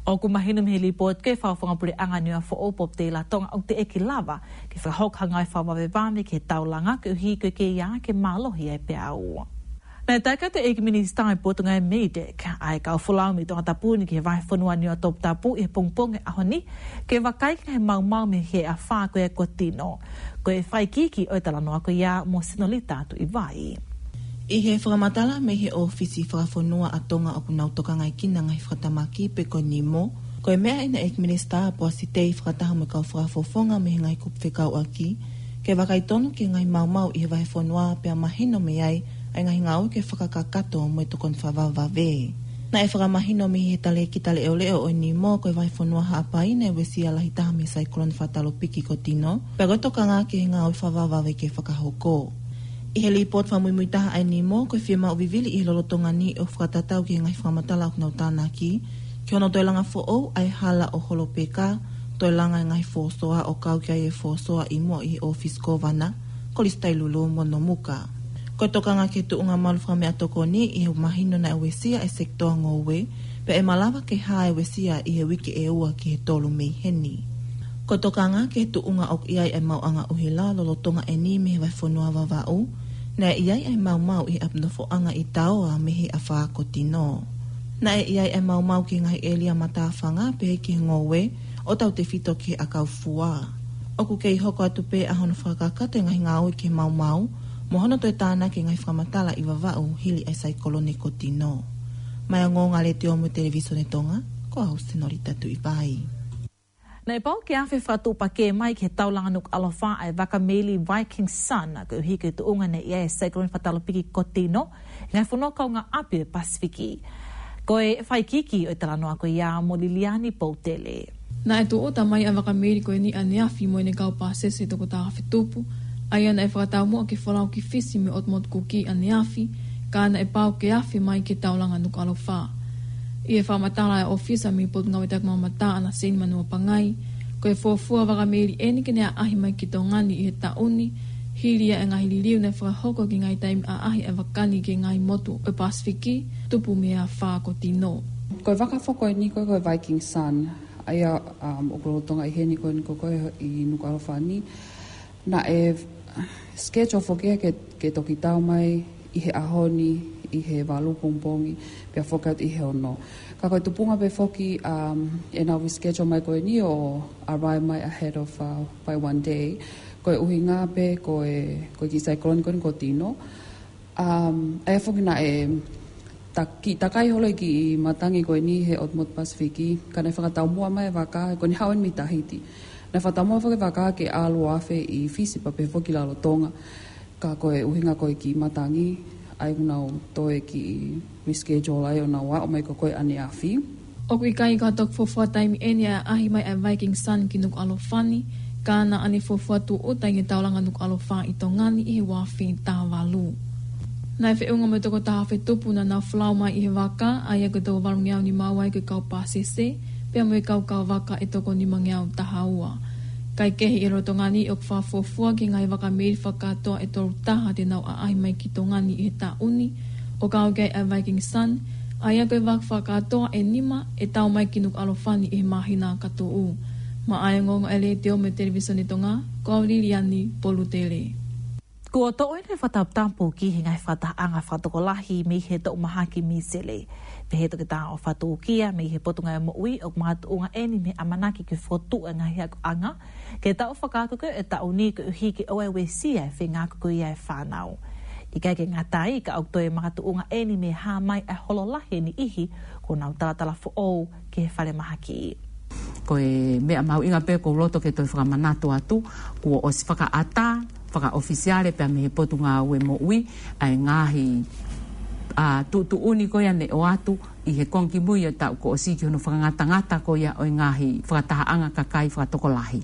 ʻOku mahino mei he lipooti ko ē ʻa e Fakafofonga Puleʻanga Niuafoʻou, Pope Teilatonga, ʻoku teʻeki lava ke fakahoko ha ngāue fakavavevave ki he taulanga koeʻuhi ko e kei ʻai ke mālohi ʻa e peau. Naʻe taʻe kau atu e ʻEiki Minisitā ʻo e Potungāue MEIDECC, ʻa e kau folau mei Tongatapu ni ki he vahefonua Niuatoputapu ʻi he pongipongi ʻo e ʻaho ni, ke vakai ki he maumau mei he afā ko ē ko Tino. Ko e fakaikiiki ʻo e talanoa ko ia mo Sinolita Tuʻivai. ʻI he fakamatala mei he ʻōfisi fakafonua ʻa Tonga ʻoku nau tokangaekina ngaahi fakatamaki pe ko e NEMO, ko e meʻa ʻa e ʻEiki Minisitā Poasi Tei fakataha mo e kau fakafofonga mei he ngaahi kupu fekauʻaki, ke vakai tonu ki he ngaahi maumau ʻi he vahefonua pea mahino mei ai ʻa e ngaahi ngāue ke fakakakato mo e tokoni fakavavevave. Naʻe fakamahino mei he talēkita leʻoleʻo ʻo e NEMO ko e vahefonua Haʻapai naʻe uesia lahi taha mei he saikolone fakatalopiki ko Tino, pea ko e tokanga ki he ngāue fakavavevave ke fakahoko. ʻI he lipooti fakamuimuitaha ʻa e NEMO, ko e fiemaʻu vivili ʻi he lolotonga ni ʻo fakatatau ki he ngaahi fakamatala ʻoku nau tānaki, ki hono toe langa foʻou ʻa e hala ʻo Holopeka, toe langa e ngaahi fōsoa ʻo kau ki ai e fōsoa ʻi muʻa ʻi he ʻōfisi Kōvana, Kolisi Tailulu mo Nomuka. Ko e tokanga ki he tuʻunga malu fakameʻatokoni ʻi he mahino naʻe uesia e sekitoa ngoue, pea ʻe malava ke hā e uesia ʻi he uike ʻe ua ki he tolu mei heni. Ko e tokanga ki he tuʻunga ʻoku ʻi ai ʻa e maʻuʻanga ʻuhila lolotonga eni mei he vahefonua Vavaʻu, naʻe ʻi ai ʻa e maumau ʻi he ʻapi nofoʻanga ʻi Taoa mei he afā ko Tino. Naʻe ʻi ai ʻa e maumau ki he ngaahi ʻēlia matāfanga pehē ki he ngoue, ʻo tautefito ki he ʻakau fua. ʻOku kei hoko atu pē ʻa hono fakakakato e ngaahi ngāue ki he maumau, mo hono toe tānaki e ngaahi fakamatala ʻi Vavaʻu hili ʻa e saikolone ko Tino. Maʻá e ongoongo ʻa e Letiō mo e Televisone Tonga, ko au Sinolita Tuʻivai. Naʻe pau ke afe fakatuʻupakē mai ki he taulanga Nukuʻalofa ʻa e vaka meili Viking Sun, koeʻuhi ko e tuʻunga naʻe ʻi ai e saikolone fakatalopiki ko Tino, he ngaahi fonua kaungāʻapi ʻo e Pasifiki. Ko e fakaikiiki ʻo e talanoa ko ia mo Liliani Poutele. Naʻe tūʻuta mai ʻa e vaka meili ko eni ʻaneafi mo ʻene kau pāsese ʻe toko taha afe tupu, ʻa ia naʻe fakataumuʻa ke folau ki Fisi mei he ʻOtu Motu Kuki ʻaneafi, ka naʻe pau ke afe mai ki he taulanga Nukuʻalofa. ʻI he fakamatala ʻa e ʻōfisa mei he Potungāue Takimamata, ʻAna Seni Manua Pangai, ko e fuofua vaka meili eni ke ne ʻaʻahi mai ki Tonga ni ʻi he taʻu ni, hili ia e ngaahi liliu naʻe fakahoko ki he ngaahi taimi ʻaʻahi ʻa e vaka ni ki he ngaahi motu ʻo e Pasifiki, tupu mei he afā ko Tino. Ko e vaka foki eni ko e, ko e Viking Sun, ʻa ia, um, ʻoku lolotonga ʻi heni ko eni ko e, ko e ʻi Nukuʻalofa ni. Naʻe schedule foki ia ke, ke toki tau mai ʻi he ʻaho ni, ʻi he valu pongipongi, pea foki atu ʻi he ono. Ka ko e tupunga pē foki, um, ʻenau reschedule mai ko eni ʻo arrive mai ahead of, uh, by one day. Ko e ʻuhinga pē ko e, ko e kiʻi saikolone ko eni ko Tino. Um, ʻa ia foki naʻe ta-, kiʻi takai holo e kiʻi matangi ko eni he ʻOtu Motu Pasifiki, ka naʻe fakataumuʻa mai e vaka, ko eni haʻu eni mei Tahiti. Naʻe fakataumuʻa foki e vaka ke ʻalu ʻo afe ʻi Fisi pea pehē foki ki Lalotonga. Ka ko e ʻuhinga ko e kiʻi matangi, ʻa ia ʻoku nau toe kiʻi reschedule ai ʻo nau aʻu mai ko e, ko e ʻaneafi. ʻOku ʻikai ko ha toki fuofua taimi eni ʻa e ʻaʻahi mai ʻa e Viking Sun ki Nukuʻalofa ni, ka naʻa ne fuofua tūʻuta ʻi he taulanga Nukuʻalofa ʻi Tonga ni ʻi he ua afe taha valu. Naʻe feʻunga mo e toko taha afe tupu naʻa nau folau mai ʻi he vaka, ʻa ia ko e toko valungeau nima ua ʻi he kau pāsese, pea mo e kau kau vaka ʻe toko nimangeau taha ua. Kae kehe ʻi he lolotonga ni ʻoku fakafuofua ki he ngaahi vaka meili fakakātoa ʻe tolu taha te nau ʻaʻahi mai ki Tonga ni ʻi he taʻu ni, ʻo kau ki ai ʻa e Viking Sun, ʻa ia ko e vaka fakakātoa ʻe nima ʻe tau mai ki Nukuʻalofa ni ʻi he māhina ka tuʻu. Maʻa e ongoongo ʻa e Letiō mo e Televisone Tonga, ko au Liliani Polutele. Kuo toʻo ʻeni e fakataputapu ki he ngaahi fakatahaʻanga fakatokolahi mei he toʻu mahaki Misele. Pehē ʻe Toketā ʻOfa Tūkia mei he Potungāue Moʻui, ʻoku makatuʻunga ʻeni mei he ʻamanaki ke fokotuʻu e ngaahi akoʻanga ke tau fakaako ko e taʻu ni koeʻuhi ke ʻoua ʻe uesia e feinga ako ko ia e fānau. ʻIkai ke ngata ai, ka ʻoku toe makatuʻunga ʻeni mei he hā mai e holo lahi e niʻihi kuo nau talatala foʻou ki he falemahaki. Ko e meʻa mahuʻinga pē ʻoku ou loto ke toe fakamanatu atu, kuo ʻosi fakaʻatā fakaʻofisiale pea mei he Potungāue Moʻui ʻa e ngaahi, ā, tuʻutuʻuni ko ia naʻe ʻoatu ʻi he konga kimui ʻo e taʻu kuo ʻosi ki hono fakangatangata ko ia ʻo e ngaahi fakatahaʻanga kakai fakatokolahi.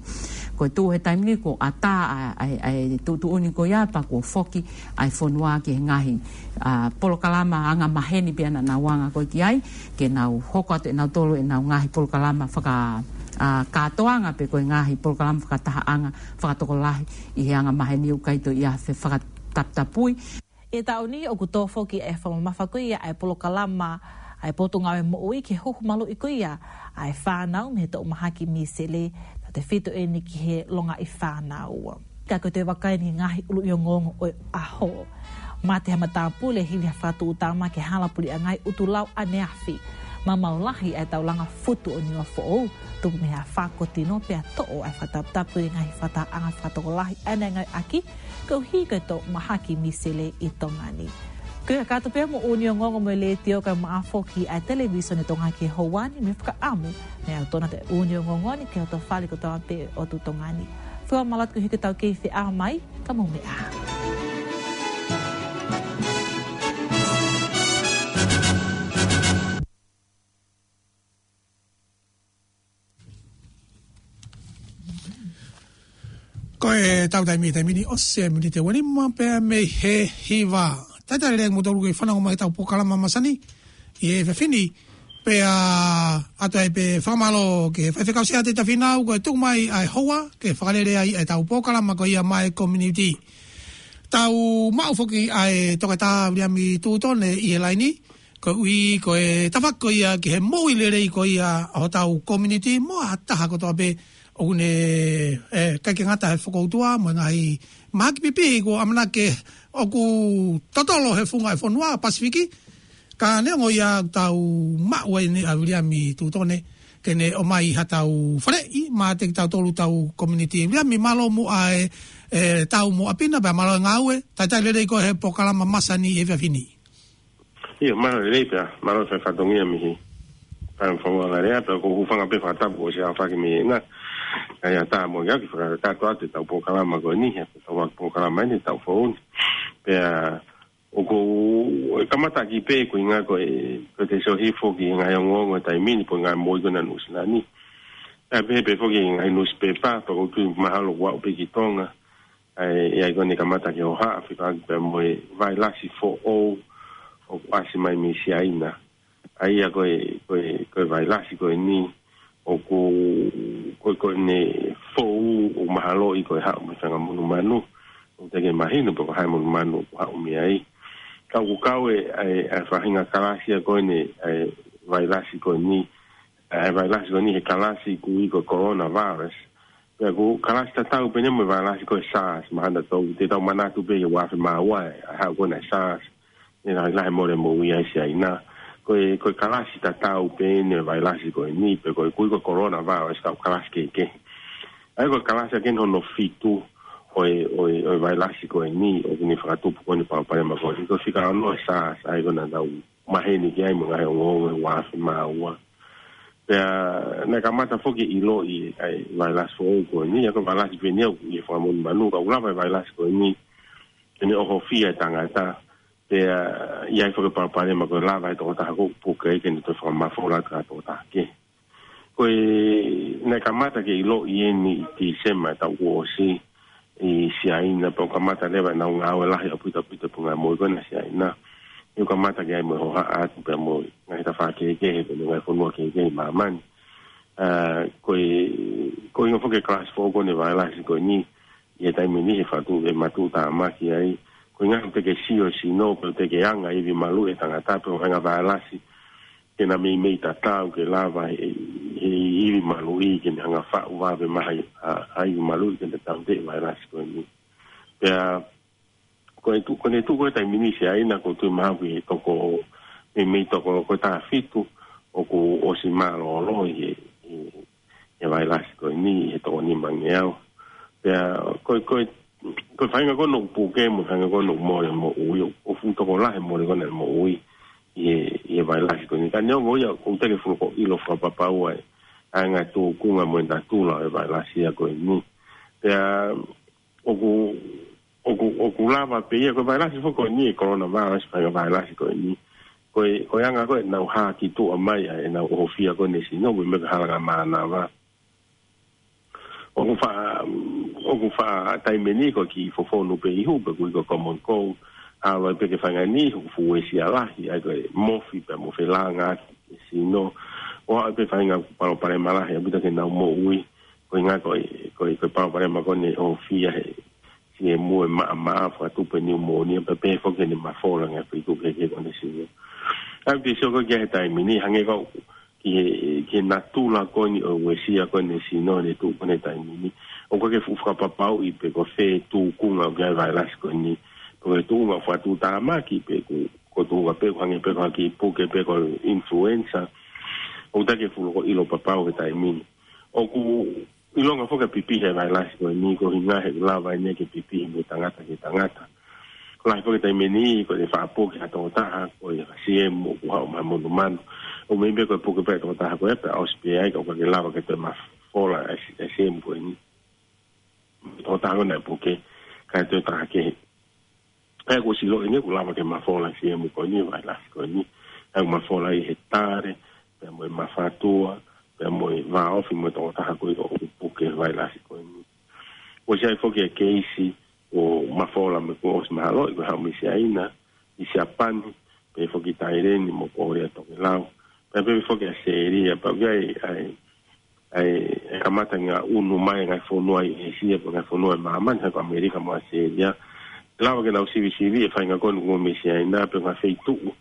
Ko e tuʻu he taimi ni kuo ʻatā ʻa, ʻa, ʻa e tuʻutuʻuni ko ia pea kuo foki ʻa e fonua ki he ngaahi, ā, polokalama angamaheni pea naʻa nau anga ko ē ki ai, ke nau hoko atu ʻe nautolu ʻenau ngaahi polokalama faka-, ā, kātoanga pe ko e ngaahi polokalama fakatahaʻanga fakatokolahi ʻi he angamaheni ʻoku ʻikai toe ʻi ai ha fefakataputapui. ʻI he taʻu ni ʻoku tō foki e fakamamafa ko ia ʻa e polokalama ʻa e Potungāue Moʻui ki he huhu maluʻi ko ia ʻa e fānau mei he toʻu mahaki Misele, tautefito ʻeni ki he longaʻi fānau. Ka ko e toe vakai ʻeni ki he ngaahi ʻuluʻi ongoongo ʻo e ʻaho. Mate ha matāpule hili ha fakatuʻutama ki he hala puleʻanga ʻi ʻUtulau ʻaneafi. Maumau lahi ʻa e taulanga futu ʻo Niuafoʻou, tupu mei he afā ko Tino pea toʻo ʻa e fakataputapu ʻi he ngaahi fakatahaʻanga fakatokolahi ʻaneafi koeʻuhi ko e toʻu mahaki Misele ʻi Tonga ni. Ko ia kātoa pē hoʻomou ʻū ongoongo mei he Letiō kae ʻumaʻā foki ʻa e Televisone Tonga ki he houa ni, mo e fakaʻamu mei he ʻaho ʻoku tō atu ai e ʻū ongoongo ni ki he ʻotu fale kotoa pē ʻo e ʻotu Tonga ni. Fakamālō atu koeʻuhi ko ʻetau kei feʻao mai, ka mou meʻa ā. Ko ʻetau taimi, taimi ni ʻosi e miniti ʻe uanima pē mei he hiva. Talitali lelei kimoutolu kei fanongo mai ki heʻetau polokalama masani ʻi he efiafi ni. Pea ʻoatu ai pē fakamālō ki he faifekau Siaosi Tafinau, ko e tuku mai ʻa e houa ke fakalele ai ʻetau polokalama ko ia maʻa e community. Tau maʻu foki ʻa e Toketā Viliami Tutone ʻi he laini, koeʻuhi ko e tafaʻaki ko ia ki he moʻui lelei ko ia ʻo hotau community mo ha taha kotoa pē ʻoku ne, ē, ʻikai ke ngata he fokoutua mo e ngaahi mahaki pipihi kuo ʻamanaki ʻoku totolo he funga e fonua Pasifiki. Ka neongo ia, tau maʻu ai ʻeni ʻa Viliami Tutone ke ne ʻomai haʻatau faleʻi maʻa kitautolu hotau community. Viliami, mālō muʻa e, e tau mo ʻapi na, pea mālō e ngāue. Talitali lelei koe he polokalama masani he efiafi ni. ʻIo, mālō e lelei pea mālō e fai fatongia mei he fakafonua Lea, pea ʻoku ou hūfanga pē he fakatapu kuo ʻosi aofaki mei heni. ʻA ia tā mo ia ke fakakakato atu ʻetau polokalama ko eni, he ʻetau polokalama eni, ʻetau foʻou ni. Pea ʻoku ou kamata ki pē ko e ʻuhinga ko e, ko e te sio hifo ki he ngaahi ongoongo he taimi ni pe ko e ngaahi moʻui ko ena ʻi Nuʻu Sila ni. ʻA ia pehē pē foki ki he ngaahi nusipepa, pea ʻoku ou tui mahalo ʻoku aʻu pē ki Tonga. ʻA ia, ʻa ia ko eni kamata ke hohaʻa fekauʻaki pea mo e vailasi foʻou ʻoku ʻasi mai mei Siaina. ʻA ia ko e, ko e, ko e vailasi ko eni ʻoku, ko e, ko ʻene foʻou ʻoku mahaloʻi ko e haʻu mei he fanga monumanu. ʻOku teʻeki mahino pe ko e hā e monumanu ʻoku haʻu mei ai. Ka ʻoku kau e, ʻa e, ʻa e faʻahinga kalasi ia ko eni, ʻa e vailasi ko eni, ʻa e vailasi ko eni he kalasi ʻoku ui ko e coronavirus. Pea ko e kalasi tatau pē eni mo e vailasi ko e SARS, mahalo ʻoku tau, te tau manatu pē he ua afe mā ua ʻa e haʻu ko ena e SARS, ne lahilahi mole moʻui ai Siaina. Ko e, ko e kalasi tatau pē eni e vailasi ko eni, pea ko e ʻoku ui ko e coronavirus ka ko e kalasi kehekehe. ʻA ia ko e kalasi ʻa eni hono fitu ʻo e, ʻo e, ʻo e vailasi ko eni, ʻoku ne fakatupu ko eni palopalema ko eni. Ko e fika ono e SARS, ʻa ia ko ena naʻa tau maheni ki ai mo e ngaahi ongoongo he ua afe mā ua. Pea naʻe kamata foki ʻiloʻi ʻa e vailasi foʻou ko eni, ʻa ia ko e vailasi pē eni ʻoku ʻi he fanga monumanu, ka ʻoku lava e vailasi ko eni ke ne ʻohofia e tangata. Pea ʻi ai foki e palopalema ko e lava e tokotaha ʻoku puke ai ke ne toe fakamafola atu ki ha tokotaha kehe. Ko e, naʻe kamata ke ʻiloʻi eni ʻi Tīsema taʻu kuo ʻosi ʻi Siaina, pea ʻoku kamata leva ʻenau ngāue lahi ʻaupito ʻaupito pea ngaahi moʻui ko ena Siaina. ʻOku kamata ke ʻi ai mo e hohaʻa atu pea mo e ngaahi tafaʻaki kehekehe pea mo e ngaahi fonua kehekehe ʻi māmani. ʻA, ko e, ko e ʻuhinga foki e kalasi foʻou ko eni e vailasi ko eni, ʻi he taimi ni he fatu, he matuʻutāmaki ai. Ko e ʻuhinga ʻoku teʻeki sio e sino, pe ʻoku teʻeki anga e ivi maluʻi e tangata, pe ko e ʻuhinga vailasi ke na meimei tatau ke lava he, he ivi maluʻi ke ne hanga faʻu vave mai ʻa, ʻa e ivi maluʻi ke ne tauteʻi e vailasi ko eni. Pea ko e tuʻu, ko ʻene tuʻu ko e taimi ni Siaina ʻoku ou tui mahalo ʻoku toko, meimei toko ko e taha fitu ʻoku ʻosi mālōlō ʻi he, ʻi he vailasi ko eni he toko nima ngeau. Pea ko e, ko e, ko e faʻahinga ko ena ʻoku puke mo e faʻahinga ko ena ʻoku mole moʻui, ʻoku fuʻu tokolahi e mole ko ena e moʻui ʻi he, ʻi he vailasi ko eni. Ka neongo ia ʻoku teʻeki fuʻu ʻilo fakapapau ʻa e, ʻa e ngaahi tūkunga mo e natula ʻo e vailasi ia ko eni. Pea ʻoku, ʻoku, ʻoku lava pē ia, ko e vailasi foki ko eni e coronavirus, faʻahinga vailasi ko eni. Ko e, ko e anga ko ē ʻenau hā ki tuʻa mai ʻa ʻenau ʻohofia ko eni e sino, meimei ko e halanga mānava. ʻOku faʻa, ʻoku faʻa taimi ni ko e kiʻi fofonu pē ihu, pe ʻoku ui ko e common cold, ʻalu ai pē ki he faʻahinga niʻihi ʻoku fuʻu uesia lahi, ʻa ia ko e mofi pea mo e felāngaaki e sino. ʻO aʻu pē ki he faʻahinga palopalema lahi ʻaupito ki heʻenau moʻui, ko e ʻuhinga ko e, ko e, ko e palopalema ko eni ʻoku ʻohofia he siʻi emu ʻe maʻamaʻa, fakatupu e niumōnia, pea pehē foki ki heʻene mafola e ngaahi feituʻu kehekehe ko eni e sino. ʻA ia te u sio ko ē ki he taimi ni, hangē ko e, ki he, ki he natula ko eni ʻo e uesia ko eni e sino ʻi he tuʻu ko eni he taimi ni. ʻOku ʻikai ke fuʻu fakapapauʻi pe ko fē tūkunga ʻoku ʻi ai e vailasi ko eni. Pe ko e tuʻunga fakatuʻutāmaki pe ko, ko e tuʻunga pē ʻoku hangē pē ko ha kiʻi puke pē ko e influenza. ʻOku teʻeki fuʻu loko ʻilo papau he taimi ni. ʻOku ʻilonga foki e pipihi e vailasi ko eni ko e ʻuhinga he ʻoku lava eni ke pipihi mei he tangata ki he tangata. Lahi foki e taimi ni ko e faʻa puke ha tokotaha ko e siʻi emu ʻoku haʻu mei he monumanu. ʻO meimei ko e puke pē e tokotaha ko ē pea ʻosi pē ai ka ʻoku ʻikai ke lava ke toe mafola e si-, e siʻi emu ko eni. Tokotaha ko ē naʻe puke, kae toe taha kehe. ʻA ia ʻoku ʻosi ʻiloʻi eni ʻoku lava ke mafola e siʻi emu ko eni, vailasi ko eni. ʻA ia ʻoku mafola ʻi he tale, pea mo e mafatua, pea mo e vāofi mo e tokotaha ko ē ʻoku puke e vailasi ko eni. ʻOsi ʻi ai foki e keisi ʻo e mafola mo e kuo ʻosi mahaloʻi ko e haʻu mei Siaina, ʻi Siapani, pehē foki Taileni mo Kōlea Tokelau. Pea pehē foki ʻAositelēlia, pea ʻoku ʻi ai, ʻa e, ʻa e, ʻa e kamata ngaʻunu mai e ngaahi fonua ʻi ʻĒsia, pe ngaahi fonua ʻi māmani, hangē ko ʻAmelika mo ʻAositelēlia. Lava ke nau sivisiviʻi e faʻahinga ko eni ʻoku mei Siaina, pe ngaahi feituʻu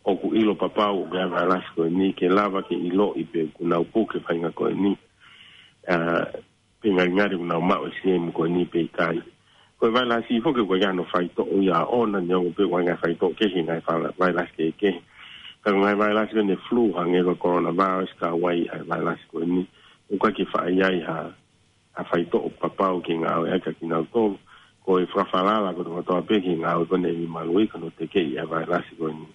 ʻoku ʻilo papau ʻoku ʻi ai e vailasi ko eni, ke lava ke ʻiloʻi pe ʻoku nau puke e faʻahinga ko eni. ʻA, pe ngalingali ʻoku nau maʻu e siʻi emu ko eni pe ʻikai. Ko e vailasi foki ʻoku ʻikai ke ʻi ai hano faitoʻo ia ʻoʻona, neongo pē ʻoku ʻi ai e ngaahi faitoʻo kehe ki he ngaahi fala-, vailasi kehekehe. Ka ko e ngaahi vailasi ko eni e flu, hangē ko e coronavirus, ka ʻoku ʻi ai e vailasi ko eni, ʻoku ʻikai ke faʻa ʻi ai ha, ha faitoʻo papau ke ngāueʻaki kia kinautolu. Ko e fakafalala kotokotoa pē ki he ngāue ko eni e ivi maluʻi, ka ʻoku nau tekeʻi ʻa e vailasi ko eni.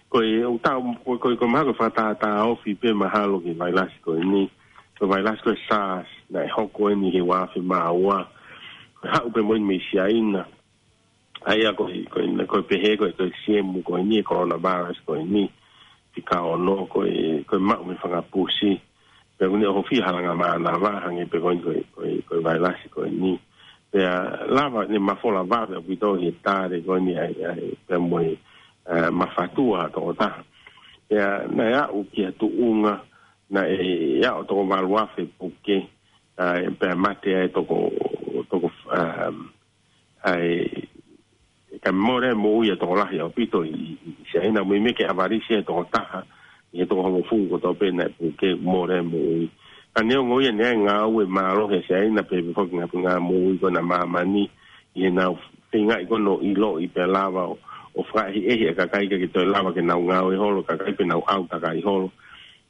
Ko e, ʻoku tau, ko e, ko e, ko e mahalo ko e fakatātā ofi pē mahalo ki he vailasi ko eni, ko e vailasi ko e SARS, naʻe hoko eni he ua afe mā ua. Ko e haʻu pē mo eni mei Siaina. ʻA ia ko e, ko e, ko e pehē ko e, ko e siemu ko eni e coronavirus ko eni. Fika ono ko e, ko e maʻu mei he fanga pusi. Pea ʻoku ne ʻohofia ʻe he langa mānava, hangē pē ko eni ko e, ko e, ko e vailasi ko eni. Pea lava ʻene mafola vave ʻaupito he tali ko eni ʻa e, ʻa e, pea mo e, ʻa e mafatua ʻa e tokotaha. Pea naʻe aʻu ki ha tuʻunga, naʻe aʻu toko valu afe puke, ʻa e, pea mate ai toko, toko, um, ʻa e, ka mole moʻui ʻa e tokolahi ʻaupito ʻi, ʻi, ʻi Siaina, mo e meʻa ke ʻavalisi ʻa e tokotaha ʻi he toko hongofulu kotoa pē naʻe puke, mole moʻui. Ka neongo ia, naʻe ngāue mālohi ʻa Siaina pea pehē foki ki he ngaahi moʻui ko ena ʻa māmani ʻi heʻenau feingaʻi ko ena ʻo ʻiloʻi pea lava ʻo, ʻo fakaʻehiʻehi ʻa e kakai kae toe lava ke nau ngāue holo, kakai pē nau ʻau takai holo.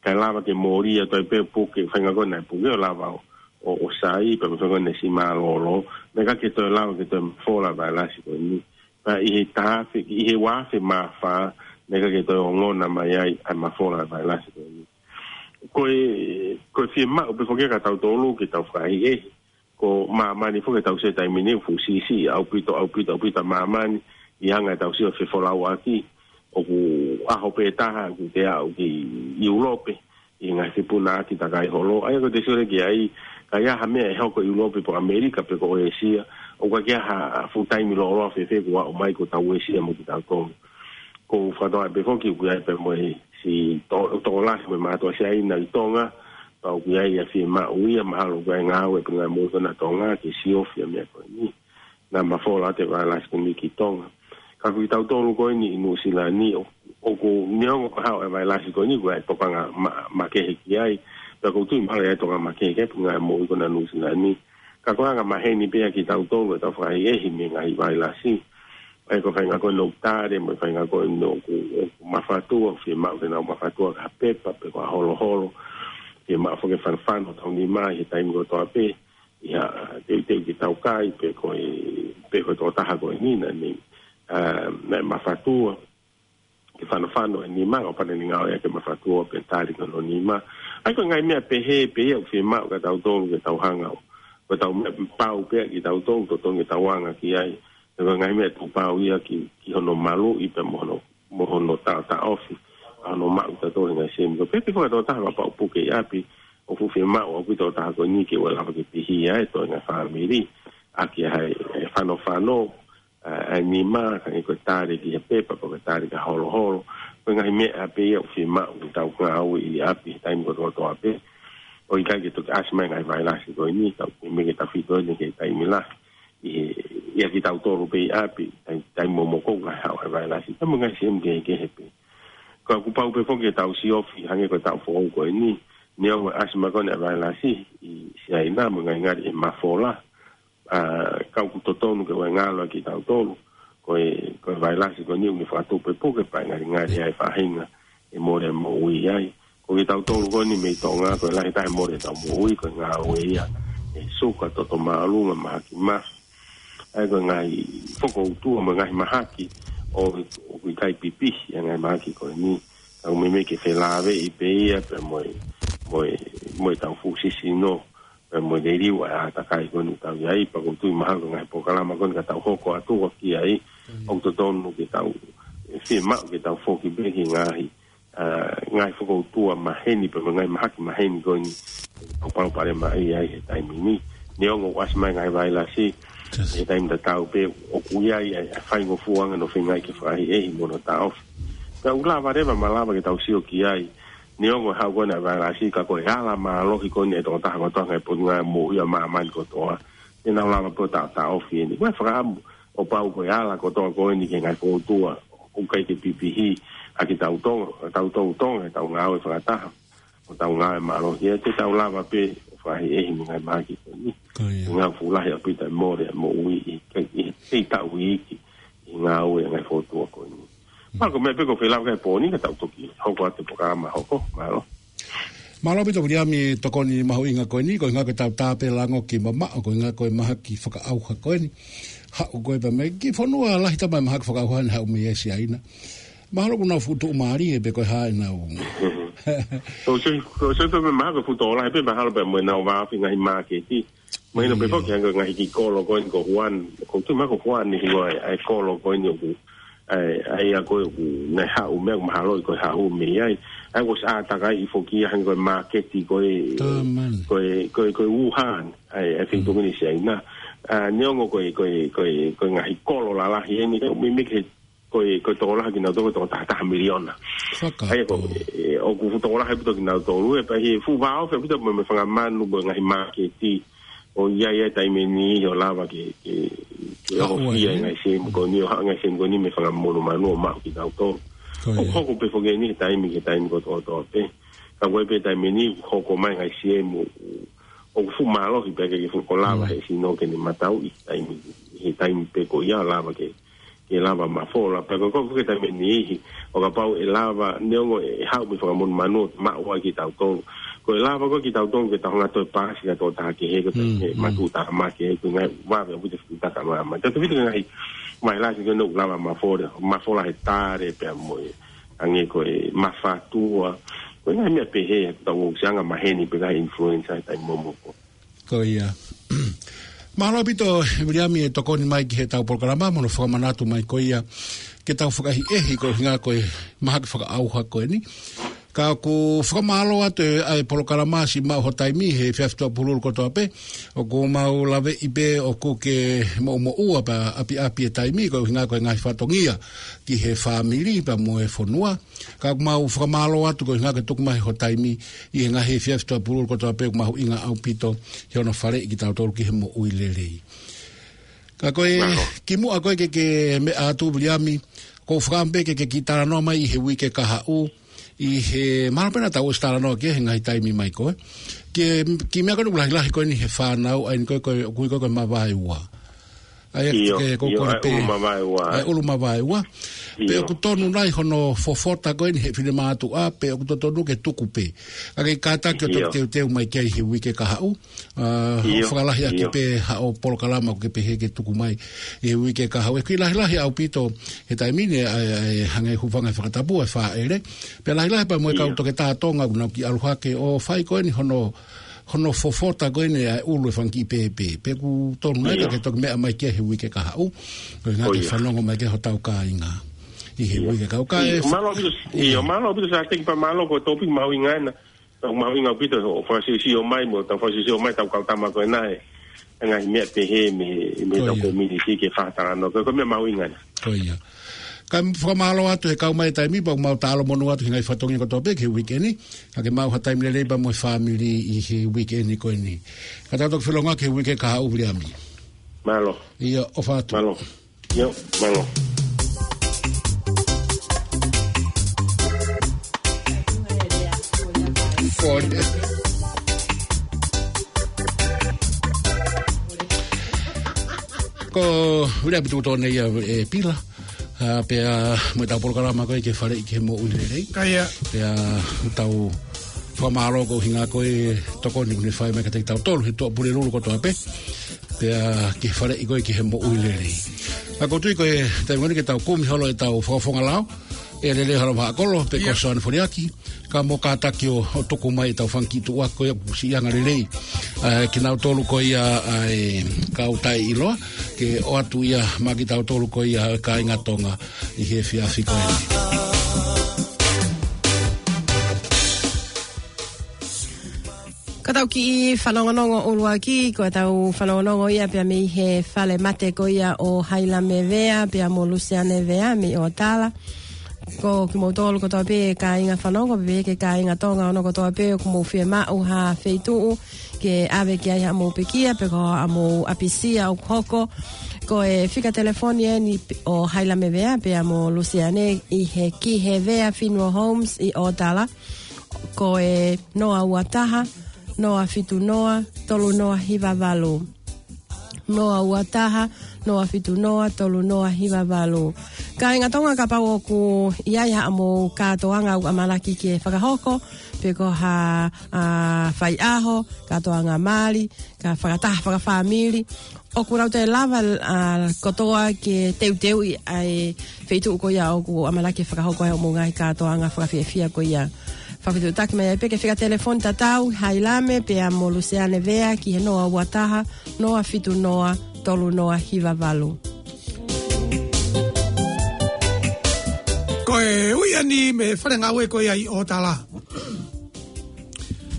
Kae lava ke mole ʻa e toe pē puke, feinga ko ena ʻa e puke ʻo lava ʻo, ʻo, ʻo sai, pea mo e feinga ko ena ʻa e siʻi mālōlō, naʻe ʻikai ke toe lava ke toe mafola ʻa e vailasi ko eni. Pea ʻi he taha afe, ʻi he ua afe mā fā, naʻe ʻikai ke toe ongona mai ai ʻa e mafola ʻa e vailasi ko eni. Ko e, ko e fiemaʻu pē foki ia kia tautolu ke tau fakaʻehiʻehi, ko māmani foki ʻoku tau sio he taimi ni ʻoku fuʻu siʻisiʻi ʻaupito, ʻaupito, ʻaupito ʻa māmani, ʻi he anga ʻetau sio fefolauʻaki, ʻoku ʻaho pē taha ʻoku te aʻu ki ʻIulope, ʻi he ngaahi fepunaʻaki takai holo. ʻA ia ko ʻete sio leva ki ai, ka ʻi ai ha meʻa ʻe hoko ʻi ʻIulope pe ko ʻAmelika pe ko ʻĒsia, ʻoku ʻikai ke ʻi ai ha fuʻu taimi lōloa fēfē kuo aʻu mai kuo tau uesia mo kitautolu. Ko e fakatoa pē foki ʻoku ʻi ai pē mo e siʻi to-, tokolahi mo e mātuʻa Siaina ʻi Tonga, pea ʻoku ʻi ai ʻa e fiemaʻu ia, mahalo ʻoku ʻi ai e ngāue ʻa e Puleʻanga Moʻui ko ena ʻa Tonga ke siofi ʻa e meʻa ko eni. Naʻa mafola atu e vailasi ko eni ki Tonga. Ka ko kitautolu ko eni ʻi Nuʻusila ni, ʻo, ʻoku neongo ko e haʻu e vailasi ko eni, ʻoku ʻi ai e tokanga ma-, makehe ki ai, pea ʻoku ou tui mahalo ʻe ʻi ai e tokanga makehe ki ai e Puleʻanga Moʻui ko ena ʻa Nuʻusila ni. Ka ko e anga maheni pē ia kia tautolu ʻetau fakaʻehiʻehi mei he ngaahi vailasi. ʻA ia ko e feinga ko ena ʻoku tali, mo e feinga ko ena ʻoku, ʻoku mafatua, fiemaʻu ke nau mafatua ki ha pepa, pe ko ha holoholo, fiemaʻu foki ke fanofano hotau nima ʻi he taimi kotoa pē, ʻi ha teuteu ke tau kai, pe ko e, pe ko e tokotaha ko eni naʻa ne, ʻa, naʻe mafatua, ke fanofano e nima, ʻo kapau naʻa ne ngāue ʻaki e mafatua pea tali ki hono nima. ʻA ia ko e ngaahi meʻa pehē, pehē ia ʻoku fiemaʻu kia tautolu ke tau hanga ʻo, ko ʻetau meʻa pau pē ia kia tautolu, totonu ke tau anga ki ai. He ko e ngaahi meʻa ʻoku pau ia ki, ki hono maluʻi pea mo hono, mo hono taʻotaʻofi ʻa hono maʻu ʻe tautolu e ngaahi siemu. Ko e pehē pē foki ki he tokotaha kapau ʻoku puke ʻi ʻapi, ʻoku fiemaʻu ʻaupito e tokotaha ko eni ke ʻoua lava ke pihi ʻa e toenga fāmili, ʻaki ʻa e, e fanofano, ʻa, ʻa e nima, ka ʻi ai ko e tali ki he pepa, pe ko e tali ki ha holoholo. Ko e ngaahi meʻa pē ia ʻoku fiemaʻu ke tau ngāue ʻi ʻapi he taimi kotoa kotoa pē. ʻOku ʻikai ke toki ʻasi mai e ngaahi vailasi ko eni, tau, meimei ke tau fito eni ki he taimi lahi. ʻI he, ia kia tautolu pē ʻi ʻapi, taimi, taimi momoko ʻoku haʻu e vailasi. Taimi ngaahi siemu kehekehe pē. Ka ʻoku pau pē foki ke tau siofi, hangē ko e taʻu foʻou ko eni, neongo e ʻasi mai ko ena e vailasi ʻi Siaina mo e ngalingali ʻe mafola, ʻa, ka ʻoku totonu ke ʻoua ʻe ngalo kia tautolu, ko e, ko e vailasi ko eni ʻoku ne fakatupu e puke pea ʻe ngalingali ai e faʻahinga ʻe mole moʻui ai. Ko kia tautolu ko eni mei Tonga, ko e lahi taha e mole ʻetau moʻui, ko e ngāue ia ʻi he suka, toto māʻolunga, mahaki mafi. ʻA ia ko e ngaahi fokoutua mo e ngaahi mahaki ʻo, ʻoku ʻikai pipihi ʻa e ngaahi mahaki ko eni. Ka ʻoku meimei ke felāveʻi pē ia pea mo e, mo e, mo ʻetau fuʻu sisino, pea mo e liliu ʻa e ʻātakai ko eni ʻoku tau ʻi ai, pea ʻoku ou tui mahalo ko e ngaahi polokalama ko eni ka tau hoko atu ki ai, ʻoku totonu ke tau, ʻe fiemaʻu ke tau foki pē ki he ngaahi, ʻa, ngaahi fokoutua maheni, pea mo e ngaahi mahaki maheni ko eni, ʻoku palopalemaʻi ai he taimi ni. Neongo ʻoku ʻasi mai e ngaahi vailasi, he taimi tatau pē, ʻoku ʻi ai ʻa e, ʻa e faingofuanga hono feingaʻi ke fakaʻehiʻehi mo hono taʻofi. Pea ʻoku lava leva, malava ke tau sio ki ai, neongo e haʻu ko ena e vailasi, ka ko e ala mālohi ko eni ʻa e tokotaha kotoa he Puleʻanga Moʻui ʻa māmani kotoa, te nau lava pē ʻo taʻotaʻofi eni. Ko e fakaʻamu, ʻo pau ko e ala kotoa ko eni ki he ngaahi fokoutua ʻoku ʻikai ke pipihi ʻaki tautolu, tautolu Tonga, ʻetau ngāue fakataha, ʻo tau ngāue mālohi, ʻe te tau lava pē ʻo fakaʻehiʻehi mei he ngaahi mahaki ko eni. Ko ia. Ngaahi fuʻu lahi ʻaupito e mole ʻa e moʻui ʻi, ʻi, ʻi he taʻu iiki, ʻi he ngāue ʻa e ngaahi fokoutua ko eni. Pea ko e meʻa pē ʻoku ou fie lava ki ai he pō ni, ka tau toki hoko atu e polokalama hoko, mālō. Mālō ʻaupito Viliami e tokoni mahuʻinga ko eni, ko e ʻuhinga ko ʻetau tā pē lango ki mamaʻo, ko e ʻuhinga ko e mahaki fakaʻauha ko eni. Haʻu ko ē pē mei he kiʻi fonua lahi taha e mahaki fakaʻauha ne haʻu mei ai Siaina. Mahalo ʻoku nau fuʻu tuʻumālie pē ko e hā ʻenau Ko se, ko se pe mahalo ko e fuʻu tokolahi pē mahalo pē mo ʻenau vāofi ngaahi māketi. Mahino pē foki hangē ko e ngaahi kiʻi kolo ko eni ko Huan. Ko tu ma ko Huan ni ko e, ʻa e kolo ko eni ʻoku, ʻa e, ʻa ia ko ē ʻoku ne haʻu mei ai mahalo ko e haʻu mei ai. ʻA ia ko e ʻātakai foki hangē ko e māketi ko e, ko e, ko e, ko e Wuhan. ʻA e, ʻa e feituʻu ni Siaina. ʻA, neongo ko e, ko e, ko e, ko e ngaahi kolo lalahi eni, ko e mimiki he ko e, ko e tokolahi kinautolu ko e toko taha taha miliona. ʻA ia ko, e, ʻoku fuʻu tokolahi ʻaupito kinautolu, ʻe pehē he fuʻu vāofi ʻaupito mo e, mo e fanga manu mo e ngaahi māketi. ʻO ʻi ai e taimi ni ʻo lava ke, ke, ke ʻohofia e ngaahi sēmu ko eni, ʻo haʻu ngaahi sēmu ko eni mei he fanga monumanu ʻo maʻu kinautolu. ʻOku hoko pē foki eni he taimi ki he taimi kotoa pē. Ka ko e pē taimi ni, hoko mai ngaahi sēmu, ʻoku fuʻu mālohi pē ke, ke fuʻu ko lava he sino ke ne matauʻi taimi, he taimi pē ko ia lava ke, ke lava mafola. Pea ko e, ko e fuʻu ke taimi ni ihi, ʻo kapau ʻe lava, neongo ʻe haʻu mei he fanga monumanu ʻo maʻu ai kitautolu. Ko e lava ko ē kitautolu ke tau hanga ʻo toe paasi ki ha tokotaha kehe, ko e matuʻutāmaki ē, ko e ngaahi vave ʻaupito e fuʻu takamāmani. Tautefito ki he ngaahi vailasi ko eni ʻoku lava mafola, mafola he tale pea mo e hangē ko e mafatua. Ko e ngaahi meʻa pehē, tau ʻosi anga maheni pē ngaahi influenza he taimi momoko. Ko ia. Mālō ʻaupito, Viliami, e tokoni mai ki heʻetau polokalama, mo hono fakamanatu mai ko ia, ke tau fakaʻehiʻehi ko e ʻuhinga ko e mahaki fakaʻauha ko eni. Ka ʻoku fakamālō atu e, ʻa e polokalama siʻi maʻu ho taimi he efiafi Tuʻapululu kotoa pē, ʻoku mau laveʻi pē ʻoku ke moʻumoʻua pea ʻapiʻapi e taimi, ko e ʻuhinga ko e ngaahi fatongia ki he fāmili pea mo e fonua. Ka ʻoku mau fakamālō atu ko e ʻuhinga ke tuku mai ho taimi ʻi he ngaahi efiafi Tuʻapululu kotoa pē, ʻoku mahuʻinga ʻaupito he hono faleʻi kitautolu ki he moʻui lelei. Ka ko e kimuʻa ko ē ke, ke meʻa atu Viliami, ʻoku ou fakaʻamu pē ke, ke kiʻi talanoa mai ʻi he uike kahaʻu, ʻi he mahalo pē naʻa tau ʻosi talanoa ki he ngaahi taimi mai ko ē. Ke, kiʻi meʻa ko eni ʻoku lahilahi ko eni he fānau, ʻa eni ko ē, ko e, ʻoku ui ko ē ko e mavaeua. ʻA ia ke, ko e ʻulu mavaeua. ʻA e ʻulu mavaeua. Pea ʻoku tonu nai hono fofota ko eni he finemātuʻa, pe ʻoku totonu ke tuku pē. Ka ke kātaki ʻo toki teuteu mai ki ai he uike kahaʻu. ʻA, ʻo fakalahi ʻaki pē haʻo polokalama ʻoku ke pehē ke tuku mai he uike kahaʻu. ʻOku kiʻi lahilahi ʻaupito he taimi ni, ʻa e, ʻa e hangē hūfanga he fakatapu, ʻa e fāʻele. Pea lahilahi pea mo e kau toketā Tonga ʻoku nau kiʻi ʻalu hake ʻo fai ko eni hono hono fofota ko eni ʻa e ʻulu e fanga kiʻi pēpē. Pea ʻoku tonu nai ka ke toki meʻa mai ki ai he uike kahaʻu. Ko e ʻuhinga ke fanongo mai ki ai hotau kāinga. ʻI he uike kahaʻu. Mālō ʻaupito, ʻio, mālō ʻaupito Sāteki pea mālō ko e tōpiki mahuʻinga ena. Tau mahuʻinga ʻaupito ʻo fakasiosio mai mo tau fakasiosio mai tau kau tama ko ena ē. Ngaahi meʻa pehē mei, mei tau kominiti ke fakatalanoa. Ko e, ko e meʻa mahuʻinga ena. Ko ia. Ka fakamālō atu he kau mai e taimi, pea ʻoku mau talamonū atu he ngaahi fatongia kotoa pē ki he uike ni. Ka ke maʻu ha taimi lelei pea mo e fāmili ʻi he uike ni ko eni. Ka tau toki felonga ki he uike kahaʻu Viliami. Mālō. ʻIo, ʻofa atu. Mālō. ʻIo, mālō. Ford. Ko Viliami Tuʻutone ia ē Pila. ʻA, pea mo ʻetau polokalama ko ē ke faleʻi ki he moʻui lelei. Ka ia. Pea tau fakamālō ko e ʻuhinga ko e tokoni kuo ne fai mai kiate kitautolu he Tuʻapulelulu kotoa pē. Pea ke faleʻi ko ē ki he moʻui lelei. ʻA, ʻoku ou tui ko e taimi ko eni ke tau kumi holo ʻetau fakafofonga lao. ʻE Lelei Halapaʻakolo, pea ko Soane Foliaki. Ka mou kātaki ʻo, ʻo tuku mai ʻetau fanga kiʻi tuʻa ko ia ʻoku siʻi anga lelei. ʻA, kinautolu ko ia ʻa e kau taʻeʻiloa, ke ʻoatu ia maʻa kitautolu ko ia ʻa e kāinga Tonga ʻi he efiafi ko eni. Ka tau kiʻi fanongonongo ʻuluaki, ko ʻetau fanongonongo ia pea mei he fale mate ko ia ʻo Haila Mevea, pea mo Lusiane Vea, mei ʻOtala. Ko kimoutolu kotoa pē kāinga fanongo, pea ki he kāinga Tonga ʻoku mou kotoa pē ʻoku mou fiemaʻu ha feituʻu ke ʻave ki ai haʻamou pekia, pe ko haʻamou ʻapisia ʻoku hoko. Ko e fika telefoni eni ʻo Haila Mevea, pea mo Lusiane ʻi he Kihevea Funeral Homes ʻi ʻOtala. Ko e noa ua taha, noa fitu noa, tolu noa hiva valu. Noa ua taha, noa fitu noa, tolu noa hiva valu. Kāinga Tonga kapau ʻoku ʻi ai haʻamou kātoanga ʻoku ʻamanaki ke fakahoko, pe ko ha, ʻa, faiʻaho, kātoanga mali, ka fakataha fakafāmili, ʻoku nau toe lava, ʻa, kotoa ke teuteuʻi ʻa e feituʻu ko ia ʻoku ʻamanaki fakahoko ai hoʻomou ngaahi kātoanga fakafiefia ko ia. Fakafetuʻutaki mai ai pē ki he fika telefoni tatau, Hailame pea mo Luseane Vea ki he noa ua taha, noa fitu noa, tolu noa hiva valu. Ko e ui ʻeni mei he fale ngāue ko ia ʻi ʻOtala.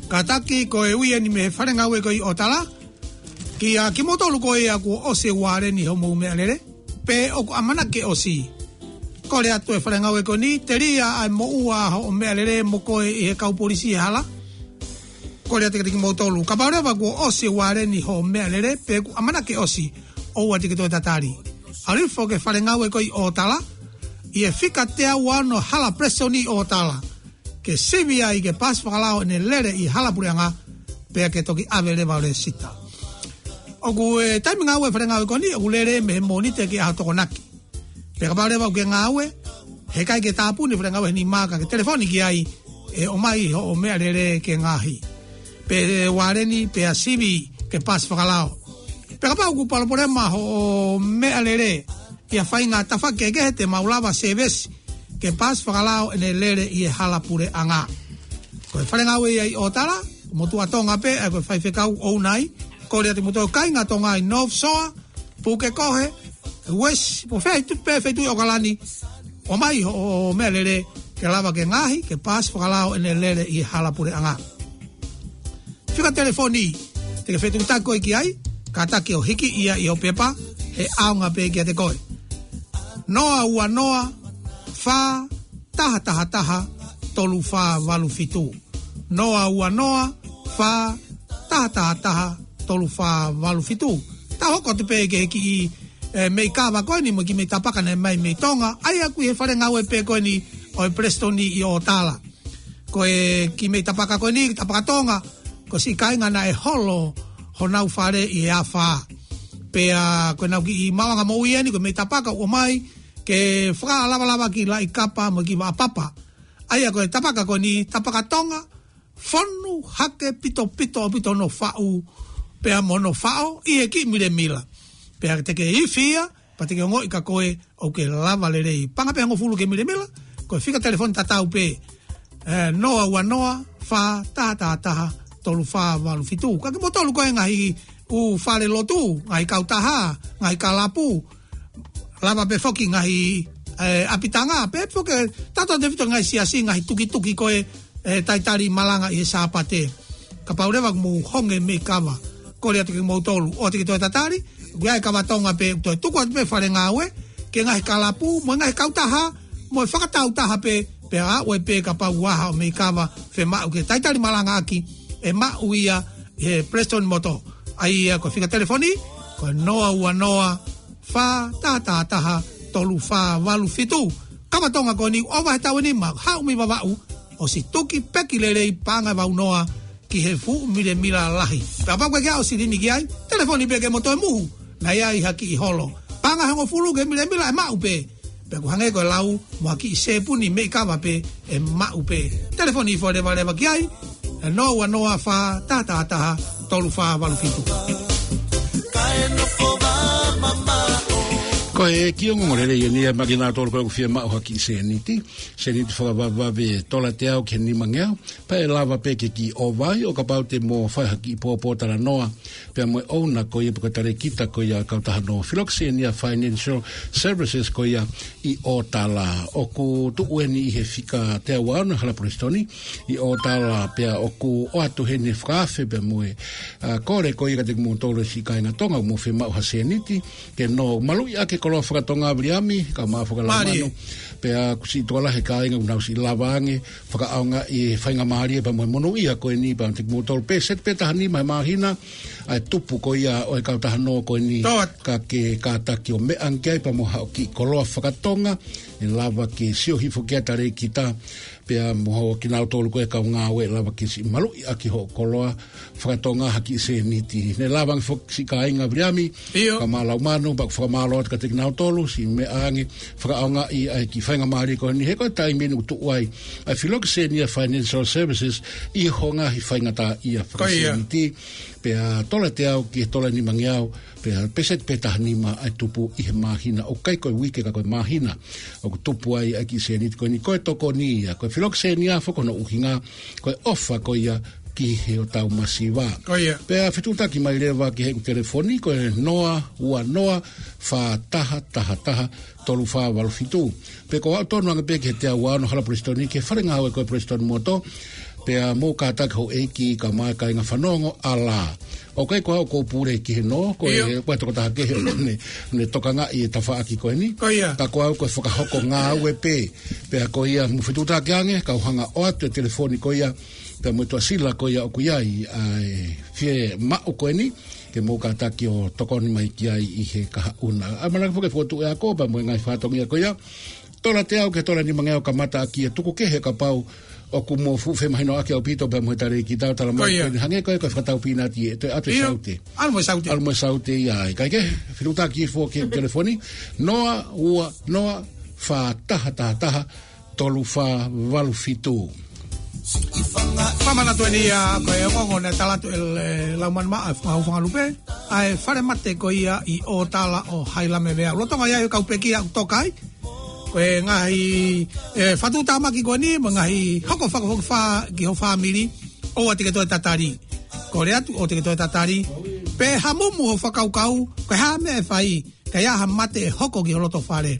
Kātaki, ko e ui ʻeni mei he fale ngāue ko ia ʻi ʻOtala. Kia kimoutolu ko ia kuo ʻosi e ualeni hoʻomou meʻalele, pe ʻoku ʻamanaki ke ʻosi, kole atu e fale ngāue ko eni, telia ʻa e moʻua hoʻo meʻalele mo koe ʻi he kau polisi he hala. Kole atu kiate kimoutolu, kapau leva kuo ʻosi e ualeni hoʻo meʻalele, pe ʻoku ʻamanaki ke ʻosi, ʻoua te ke toe tatali. ʻAlu hifo ki he fale ngāue ko ia ʻi ʻOtala, ʻi he fika teau ua ono Hala Presitoni ʻi ʻOtala, ke sivi ai ke pasi fakalao ʻene lele ʻi he hala puleʻanga, pea ke toki ʻave leva ʻo lēsisita. ʻOku, e, taimi ngāue e fale ngāue ko eni, ʻoku lele mei he Mōnite ki he ʻaho Tokonaki. Pea kapau leva ʻoku ke ngāue, heʻikai ke tāpuni e fale ngāue he nima, ka ke telefoni ki ai, ʻe ʻomai hoʻo meʻalele ke ngaahi. Pe ualeni, pea sivi ke pasi fakalao. Pea kapau ʻoku palopalema hoʻo meʻalele ʻi ha faʻahinga tafaʻaki kehekehe, te mau lava sēvesi ke pasi fakalao ʻene lele ʻi he hala puleʻanga. Ko e fale ngāue ia ʻi ʻOtala, motuʻa Tonga pē, ʻa ia ko e faifekau ʻoku ʻi ai, kole atu kimoutolu kāinga Tonga ʻi North Shore, Pukekohe, West, pe ko fē feituʻu pē, feituʻu ʻi ʻOkalani, ʻomai hoʻo meʻalele ke lava ke ngaahi, ke pasi fakalao ʻene lele ʻi he hala puleʻanga. Fika telefoni te ke fetuʻutaki koe ki ai, kātaki ʻo hiki ia ʻi hoʻo pepa, he ʻaonga pē kiate koe. Noa ua noa, fā, taha taha taha, tolu fā valu fitu. Noa ua noa, fā, taha taha taha, tolu fā valu fitu. Tau hoko atu pē ki he kiʻi, e, meʻi kava ko eni mo e kiʻi meʻi tapaka naʻe ʻomai mei Tonga, ʻa ia ʻoku ʻi he fale ngāue pē ko eni ʻo e Presitoni ʻi ʻOtala. Ko e kiʻi meʻi tapaka ko eni, tapaka Tonga, ko e siʻi kāinga naʻe holo honau fale ʻi he afā. Pea ko ʻenau kiʻi maʻuʻanga moʻui ʻeni, ko e meʻi tapaka ʻoku ʻomai ke fakalavalava ki he laʻi kapa mo e kiʻi vaʻa papa. ʻA ia ko e tapaka ko eni, tapaka Tonga, fonu hake pitopito ʻaupito hono faʻu, pea mo hono faʻo, ʻi he kiʻi milemila. Pea te ke ifi ia, pea te ke ongoʻi kia koe ʻoku ke lava lelei. Paʻanga pē hongofulu ki he milemila, ko e fika telefoni tatau pē, e, noa ua noa, fā, taha taha taha, tolu fā valu fitu. Ka kimoutolu ko e ngaahi ʻū fale lotu, ngaahi kautaha, ngaahi kalapu, lava pē foki ngaahi, e, ʻapitanga, pea foki, tautefito ngaahi siasi, ngaahi tukituki ko e, e, talitali malanga ʻi he Sāpate. Kapau leva ʻoku mou honge meʻi kava, kole atu kimoutolu, ʻoua te ke toe tatali, ʻoku ʻi ai e kava Tonga pē, ʻoku toe tuku atu pē fale ngāue, ki he ngaahi kalapu, mo e ngaahi kautaha, mo e fakatāutaha pē, pea ʻoua pē kapau ʻoku ʻi ai haʻo meʻi kava, fiemaʻu ke talitali malanga ʻaki, ʻe maʻu ia he Presitoni Motor. ʻA ia ko e fika telefoni, ko e noa ua noa, fā taha taha taha, tolu fā valu fitu. Kava Tonga ko eni ʻoku ʻova he taʻu ʻe nima, haʻu mei Vavaʻu, ʻosi tuki peki lelei, paʻanga ʻe valu noa ki he fuʻu milemila lahi. Pea kapau ʻoku ʻikai ke ʻosi lini ki ai, telefoni pē ke mo toe muhu, naʻe ʻi ai ha kiʻi holo. Paʻanga ʻe hongofulu ki he milemila ʻe maʻu pē. Pea ʻoku hangē ko e lau, mo ha kiʻi sēpuni meʻi kava pē ʻe maʻu pē. Telefoni hifo levaleva ki ai, e noa ua noa fā taha taha taha tolu fā valu fitu. Ko e kiʻi ongoongo lelei ʻeni ia maʻa kinautolu ko ē ʻoku fiemaʻu ha kiʻi sēniti. Sēniti fakavavevave, tola teau ki he nimangeau. Pea ʻe lava pē ke kiʻi ʻova ai, ʻo kapau te mo fai ha kiʻi pōpōtalanoa pea mo e ʻouna ko ia pe ko e talēkita ko ia ʻo e kautaha Nō Filokisinia Financial Services ko ia ʻi ʻOtala. ʻOku tuʻu ʻeni ʻi he fika teau ua ono Hala Presitoni ʻi ʻOtala, pea ʻoku ʻoatu heni e fakaafe pea mo e, a, kole ko ia kiate kimoutolu siʻi kāinga Tonga ʻoku mou fiemaʻu ha sēniti ke nau maluʻi ʻaki e koloa fakatonga, Viliami, kae ʻumaʻā foki ʻa Laumanu. Pea ʻoku siʻi tokolahi e kāinga ʻoku nau siʻi lava ange fakaʻaongaʻi e faingamālie pea mo e monūʻia ko eni, pea kiate kimoutolu, peseti pē taha nima he māhina ʻa e tupu ko ia ʻo e kautaha Nō ko eni. Ka ke kātaki ʻo meʻa ange ki ai pea mo haʻo kiʻi koloa fakatonga, ʻe lava ke sio hifo ki ai e talēkita pea mo kinautolu ko ē kau ngāue, ʻe lava ke siʻi maluʻi ʻaki hoʻo koloa fakatonga ha kiʻi sēniti. Ne lava ange foki siʻi kāinga, Viliami, kae ʻumaʻā Laumanu, pea ʻoku fakamālō atu kiate nautolu, siʻi meʻa ange, fakaʻaongaʻi ʻa e kiʻi faingamālie ko eni, he ko e taimi eni ʻoku tuʻu ai ʻa e Filokisenia Financial Services ʻi hono ngaahi faingataʻaʻia fakasēniti, pea tola teau ki he tola nimangeau, pea peseti pē taha nima ʻa e tupu ʻi he māhina, ʻoku ʻikai ko e uike ka ko e māhina ʻoku tupu ai ʻa e kiʻi sēniti ko eni. Ko e tokoni ia, ko e Filokisenia foki hono ʻuhinga, ko e ʻofa ko ia ki he ʻo tau masiva. Pea fetuʻutaki mai leva ki heʻeku telefoni, ko e noa ua noa fā taha taha taha tolu fā valu fitu. Pea ko au tonu ange pē ki he teau ua ono Hala Prestoni, ki he fale ngāue ko e Preston Motor, pea mou kātaki houʻeiki kae ʻumaʻā e kāinga fanongo, ʻalā. ʻOku ʻikai ko au ʻoku ou pule ki he nō, ko e, ko e tokotaha kehe ʻoku ne, ne tokangaʻi e tafaʻaki ko eni. Ka ko au ko e fakahoko ngāue pē, pea ko ia mou fetuʻutaki ange, kau hanga ʻo ʻoatu e telefoni ko ia, pea mo e tuʻasila ko ia ʻoku ʻi ai ʻa e fiemaʻu ko eni, ke mou kātaki ʻo tokoni mai ki ai ʻi he kahaʻu na. ʻAmanaki foki ke fokotuʻu e ako pea mo e ngaahi fatongia ko ia. Tola teau ki he tola nimangeau kamata ʻaki e tuku kehe kapau ʻoku mou fuʻu femahinoʻaki ʻaupito pea mo e talēkita ʻo talamai ko eni hangē ko e ko e fakatau pīnati ʻe toe ʻatu e saute. ʻAlu mo e saute. ʻAlu mo e saute ia ai. Kae kehe, fetuʻutaki foki ki he telefoni, noa ua noa fā taha taha taha tolu fā valu fitu. Fakamanatu eni ia ko e ongoongo naʻe tala atu ʻe Laumanu Maʻa, Fakaʻufangalupe, ʻa e falemate ko ia ʻi ʻOtala ʻo Hailamevea. Lolotonga ia ʻi he kau pekia ʻoku toka ai, ko e ngaahi, e, fakatamaki ko eni, mo e ngaahi hoko fakafokifā ki ho fāmili, ʻoua te ke toe tatali. Kole atu, ʻoua te ke toe tatali. Pe hamumu ho fakakaukau, ko e hā meʻa ʻe fai, ka ʻi ai ha mate ʻe hoko ki ho loto fale.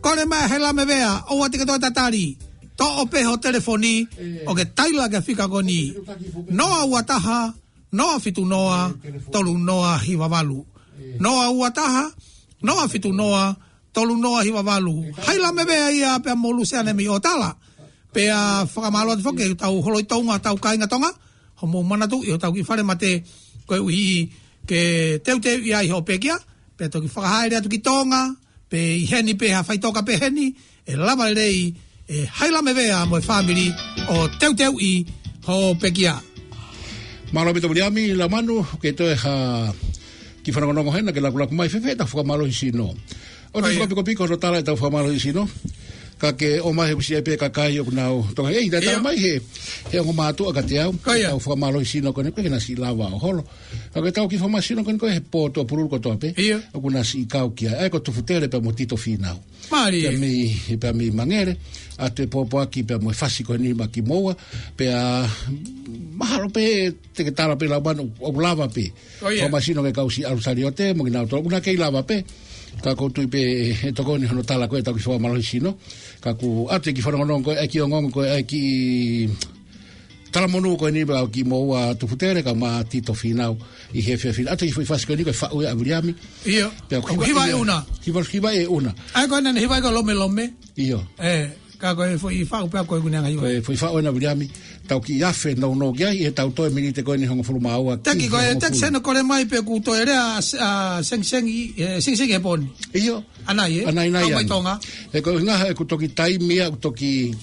Kole mai Hailamevea, ʻoua te ke toe tatali. Toʻo pē ho telefoni, ʻo ke taila ki he fika ko eni. Noa ua taha, noa fitu noa, tolu noa hiva valu. Noa ua taha, noa fitu noa, tolu noa hiva valu. Hailamevea ia pea mo Luseane mei ʻOtala. Pea fakamālō atu foki ki hotau holo ʻi Tonga, hotau kāinga Tonga, hoʻomou manatuʻi hotau kiʻi falemate, koeʻuhi ke teuteuʻi ai hoʻo pekia, pea toki fakahaere atu ki Tonga, pe ʻi heni pē ha faʻitoka pehē ni, ʻe lava lelei ʻe Hailamevea mo e fāmili ʻo teuteuʻi hoʻo pekia. Mālō ʻaupito Viliami, Laumanu, ke toe ha kiʻi fanongonongo hena ke lakulaku mai, fēfē ʻetau fakamālohi sino. ʻOku fakapikopiko hono tala ʻetau fakamālohi sino. Ka ke ʻomai he kusi ai pē kakai ʻoku nau toka. ʻEi, taʻe tala mai he, he ongo mātuʻa kiate au. ʻEtau fakamālohi sino ko eni ʻoku ʻikai ke na siʻi lava ʻo holo. Ka ko ʻetau kiʻi fakamālohi sino ko eni ko e he pō tuʻapululu kotoa pē. ʻOku na siʻi kau ki ai. ʻA ia ko Tufutele pea mo Tito Fīnau. Pea mei, pea mei Mangere. ʻA e pōpoaki pea mo e fasi ko eni maʻa kimoua. Pea mahalo pē te ke tala pē Laumanu ʻoku lava pē. Fakamālohi sino ki he kau siʻi ʻalu saliote, mo kinautolu ʻoku na kei lava pē. Ka ʻoku ou tui pē ʻe tokoni hono tala ko ē ʻetau kiʻi fakamālohi sino. Ka ʻoku ʻoatu e kiʻi fanongonongo ko ē, ʻa e kiʻi ongoongo ko ē, ʻa e kiʻi talamonū ko eni pea kimoua Tufutele kae ʻumaʻā Tito Fīnau ʻi he efiafi ni. ʻOatu e kiʻi foʻi fasi ko eni ko e faʻu ia ʻa Viliami. Pea ʻoku hiva ʻe ʻUna. Hiva, hiva ʻe ʻUna. ʻA ia ko ena ne hiva ko Lomelome. ʻIo. Ē, ka ko e foʻi faʻu pea ko e ʻuhinga ia. Ko e foʻi faʻu ena Viliami, tau kiʻi afe nounou ki ai, ʻi heʻetau toe miniti ko eni hongofulu mā ua ki he hongofulu. Teki ko e, teki seno kole mai pe ʻoku toe lea ʻa, ʻa Sengisengi, ē, Sengisengi he pō ni. ʻIo. ʻAnainai, ē? ʻAnainai ange. Kau mai Tonga. Ē, ko e ʻuhinga he ʻoku toki taimi ia, ʻoku toki,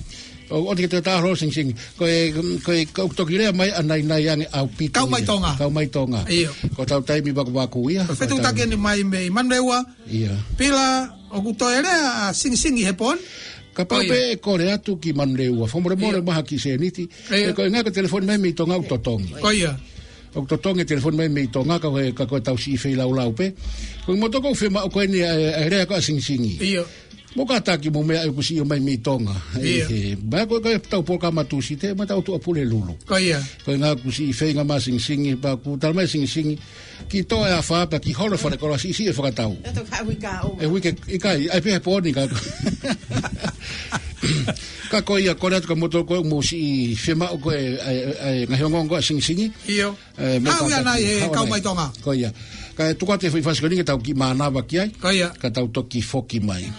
ʻo, ʻoua te ke toe tala holo Sengisengi. Ko e, ko e, ʻoku toki lea mai ʻanainai ange ʻaupito ia. Kau mai Tonga. Kau mai Tonga. ʻIo. Ko ʻetau taimi vakuvaku ia. Ko e fetuʻutaki eni mai mei Manurewa. ʻIo. Pea ʻoku toe lea ʻa Sengisengi he pō ni. Kapau pē ʻe kole atu ki Manurewa, fakamolemole mai ha kiʻi sēniti. ʻIo. Ē, ko e ʻuhinga ko e telefoni mai mei Tonga ʻoku totongi. Ko ia. ʻOku totongi e telefoni mai mei Tonga ka ko e, ka ko ʻetau siʻi feilaulau pē. Ko e motuʻa ʻoku ou fiemaʻu ko eni ʻa e, ʻa e lea ko ē ʻa Sengisengi. ʻIo. Mou kātaki mou meʻa ʻoku siʻi ō mai mei Tonga. ʻIo. Ē, he, meʻa ko ē, ko ʻetau polokalama Tūsite, mo ʻetau tuʻapulelulu. Ko ia. Ko e ʻuhinga ʻoku siʻi feinga mai Sengisengi, pea ʻoku tala mai Sengisengi. Kiʻi toʻo e afā pea kiʻi holo e falekoloa siʻisiʻi e fakatau. ʻE toki haʻu ʻi ka o. ʻE uike ʻikai, ʻai pē he pō ni ka. Ka ko ia, kole atu kia moutolu ko ē ʻoku mou siʻi fiemaʻu ko ē, ʻa e, ʻa e, ʻa e ngaahi ongoongo ʻa Sengisengi. ʻIo. Ē, mou haʻu ia kātaki, nai he haʻu kau mai Tonga. Ko ia. Kae tuku atu e foʻi fasi ko eni ke tau kiʻi mānava ki ai. Ko ia. Ka tau toki foki mai.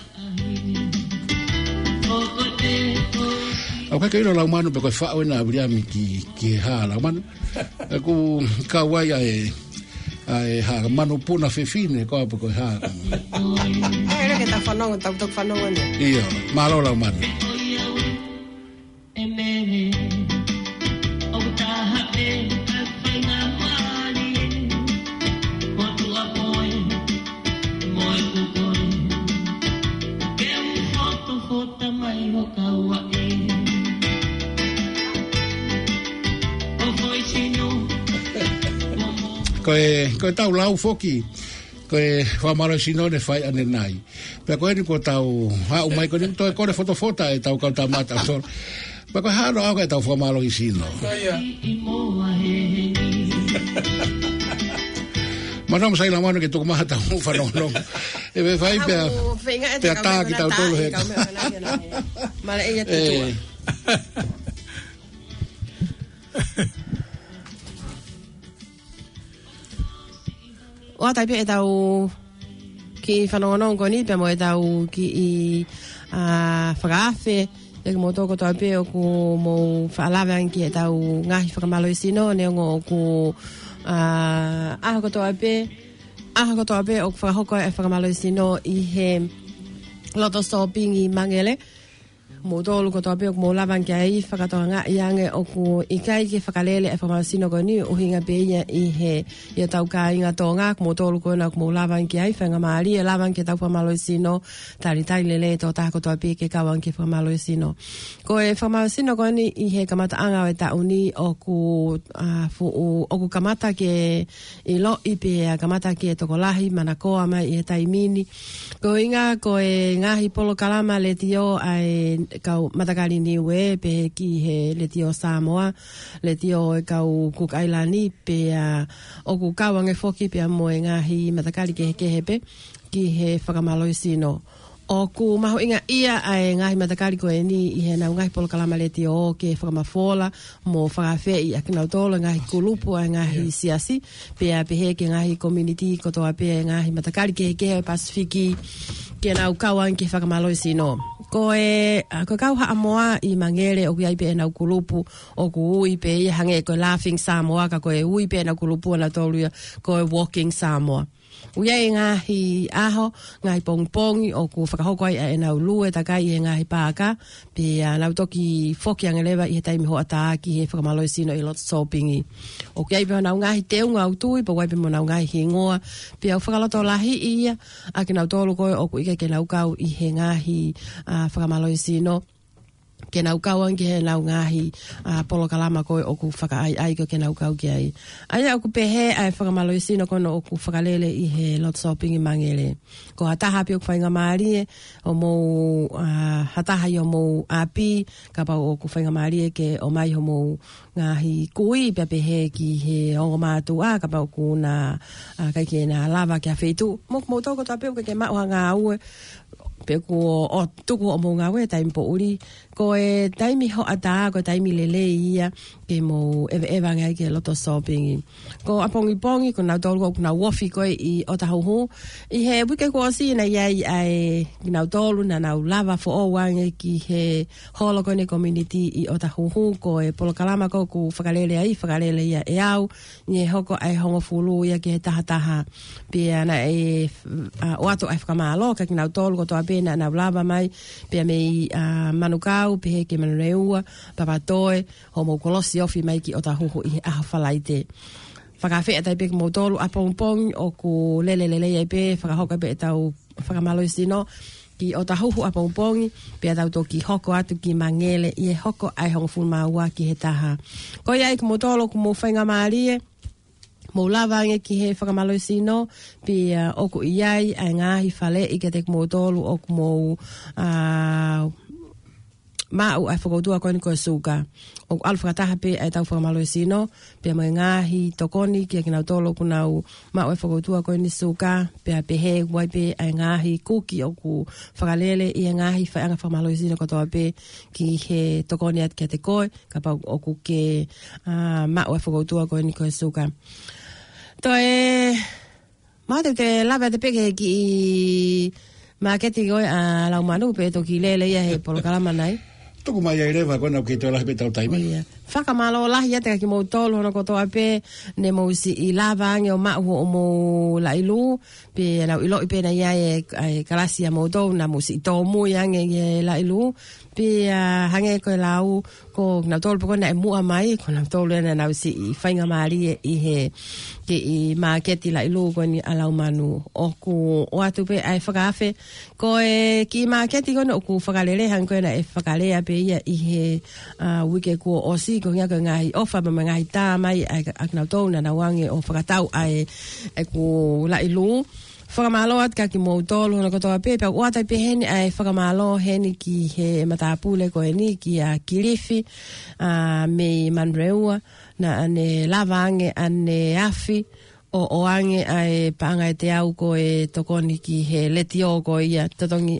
ʻOku ʻikai ke ʻilo Laumanu pe ko e faʻu ena ʻa Viliami ki, ki he hā Laumanu. ʻOku kau ai ʻa e, ʻa e hā manupuna fefine ko ā pe ko e hā. ʻE, lele ke ta fanongo, tau toki fanongo ni. ʻIo, mālō Laumanu. Ko e, ko e tau lau foki. Ko e fakamālohisino ne fai ʻanenai. Pea ko eni ko tau haʻu mai ko eni toe kole fotofota e tau kau tamata solo. Pea ko e hano au ke tau fakamālohisino. Manong sai la mano ke tuku maha tau fanongonongo. E me fai pea, pea tā ki tau tolu he. Male e ia tutua. ʻOatu ai pē ʻetau kiʻi fanongonongo ko eni pea mo ʻetau kiʻi, ā, fakaafe. Pea kimoutolu kotoa pē ʻoku mou faʻa lave ange ki heʻetau ngaahi fakamālohisino, neongo ʻoku, ā, ʻaho kotoa pē, ʻaho kotoa pē ʻoku fakahoko ai e fakamālohisino ʻi he loto sōpingi Mangele. Moutolu kotoa pē ʻoku mou lava ange ki ai, fakatokangaʻi ange ʻoku ʻikai ke fakalele e fakamālohisino ko eni, ʻuhinga pē ia ʻi he, ʻi hotau kāinga Tonga, ko moutolu ko ena ʻoku mou lava ange ki ai, faingamālie lava ange ki heʻetau fakamālohisino, talitali lelei e tokotaha kotoa pē ke kau ange ki he fakamālohisino. Ko e fakamālohisino ko eni ʻi he kamataʻanga ʻo e taʻu ni ʻoku, ā, fuʻu, ʻoku kamata ke ʻiloʻi pea kamata ke tokolahi manakoa mai ʻi he taimi ni. Ko e ʻuhinga ko e ngaahi polokalama letiō ʻa e kau matakali Niue pehē ki he Letiō Samoa, letiō e kau Cook Island pea ʻoku kau ange foki pea mo e ngaahi matakali kehekehe pē ki he fakamālohisino. ʻOku mahuʻinga ia ʻa e ngaahi matakali ko eni ʻi heʻenau ngaahi polokalama letiō ke fakamafola mo fakaafeʻi ʻa kinautolu e ngaahi kulupu ʻa e ngaahi siasi, pea pehē ki he ngaahi community kotoa pē e ngaahi matakali kehekehe ʻo e Pasifiki ke nau kau ange ki he fakamālohisino. Ko e, ā, ko e kau Haʻamoa ʻi Mangele ʻoku ʻi ai pē ʻenau kulupu ʻoku ui pē ia hangē ko e Laughing Samoa ka ko e ui pē ʻenau kulupu ʻanautolu ia ko e Walking Samoa. ʻOku ʻi ai e ngaahi ʻaho, ngaahi pongipongi ʻoku fakahoko ai ʻa ʻenau lue takai ʻi he ngaahi paaka, pea nau toki foki ange leva ʻi he taimi hoʻatā ki he fakamālohisino ʻi loto sōpingi. ʻOku ʻi ai pē honau ngaahi teunga ʻoku tui, pea ʻoku ʻi ai pē mo honau ngaahi hingoa, pea ʻoku fakalotolahiʻi ia ʻa kinautolu ko ē ʻoku ʻikai ke nau kau ʻi he ngaahi, ā, fakamālohisino ke nau kau ange ki heʻenau ngaahi, ā, polokalama ko ē ʻoku fakaʻaiʻai ko ē ke nau kau ki ai. ʻA ia ʻoku pehē ʻa e fakamālohisino ko ena ʻoku fakalele ʻi he loto sōpingi Mangele. Ko ha taha pē ʻoku faingamālie ʻo mou, ā, ha taha ʻi homou ʻapi, kapau ʻoku faingamālie ke ʻomai homou ngaahi kui pea pehē ki he ongo mātuʻa, kapau ʻoku na, ā, ʻikai ke na lava ki ha feituʻu. Mo, moutolu kotoa pē ʻoku ke maʻu ha ngāue, pe kuo ʻo tuku hoʻomou ngāue taimi poʻuli. Ko e taimi hoʻatā, ko e taimi lelei ia ke mou ʻeveʻeva ange ai ki he loto sōpingi. Ko ʻapongipongi, ko nautolu ʻoku nau ofi ko ē ʻi ʻOtahuhu. ʻI he uike kuo ʻosi naʻe ʻi ai ʻa e kinautolu naʻa nau lava foʻou ange ki he holo ko eni community ʻi ʻOtahuhu, ko e polokalama ko ē ʻoku fakalele ai, fakalele ia ʻe au, ʻi he hoko ʻa e hongofulu ia ki he tahataha. Pea naʻe, ā, ʻoatu ʻa e fakamālō kia kinautolu kotoa pē naʻa nau lava mai, pea mei, ā, Manukau, pehē ki Manurewa, Papatoe, hoʻomou kolosi ofi mai ki ʻOtahuhu ʻi he ʻaho Falaite. Fakaafeʻi atu ai pē kimoutolu ʻapongipongi ʻoku lele lelei ai pē, fakahoko ai pē ʻetau fakamālohisino ki ʻOtahuhu ʻapongipongi, pea tau toki hoko atu ki Mangele ʻi he hoko ʻa e hongofulu mā ua ki he taha. Ko ia ai kimoutolu ʻoku mou faingamālie, mou lava ange ki he fakamālohisino, pea ʻoku ʻi ai ʻa e ngaahi faleʻi kiate kimoutolu ʻoku mou, ā, maʻu ʻa e fokoutua ko eni ko e suka. ʻOku ʻalu fakataha pē ʻa ʻetau fakamālohisino, pea mo e ngaahi tokoni kia kinautolu ʻoku nau maʻu ʻa e fokoutua ko eni suka, pea pehē ʻoku ʻi ai pē ʻa e ngaahi kuki ʻoku fakalele ʻi he ngaahi faiʻanga fakamālohisino kotoa pē ki he tokoni atu kiate koe, kapau ʻoku ke, ā, maʻu ʻa e fokoutua ko eni ko e suka. Toe, ma te te lava te peke ki māketi ko ē ʻa Laumanu pe toki lele ia he polokalama nai. Tuku mai ai leva ko ena ʻoku kei toe lahi pē ʻetau taimi. ʻIo. Fakamālō lahi atu kia kimoutolu hono kotoa pē, ne mou siʻi lava ange ʻo maʻu hoʻomou laʻi lū, pea naʻa ku ʻiloʻi pē naʻe ʻi ai e, e kalasi ʻa moutolu naʻa mou siʻi tōmui ange ʻi he laʻi lū, pea hangē ko e lau, ko kinautolu pē ko ē naʻe muʻa mai, ko kinautolu ē naʻa nau siʻi faingamālie ʻi he kiʻi māketi laʻi lū ko eni ʻa Laumanu. ʻOku ʻoatu pē ʻa e fakaafe, ko e kiʻi māketi ko eni ʻoku fakalele hangē ko ē naʻe fakalea pē ia ʻi he, ʻa, uike kuo ʻosi, ko e ʻuhinga ko e ngaahi ʻofa mo e ngaahi tā mai ʻa, ʻa kinautolu naʻa nau ō ange ʻo fakatau ʻa e, ʻeku laʻi lū. Fakamālō atu kia kimoutolu hono kotoa pē, pea ʻoatu ai pē heni ʻa e fakamālō heni ki he matāpule ko eni kia Kilifi, ʻa, mei Manurewa, naʻa ne lava ange ʻaneafi ʻo ʻoange ʻa e paʻanga ʻe teau ko e tokoni ki he letiō ko ia, totongi,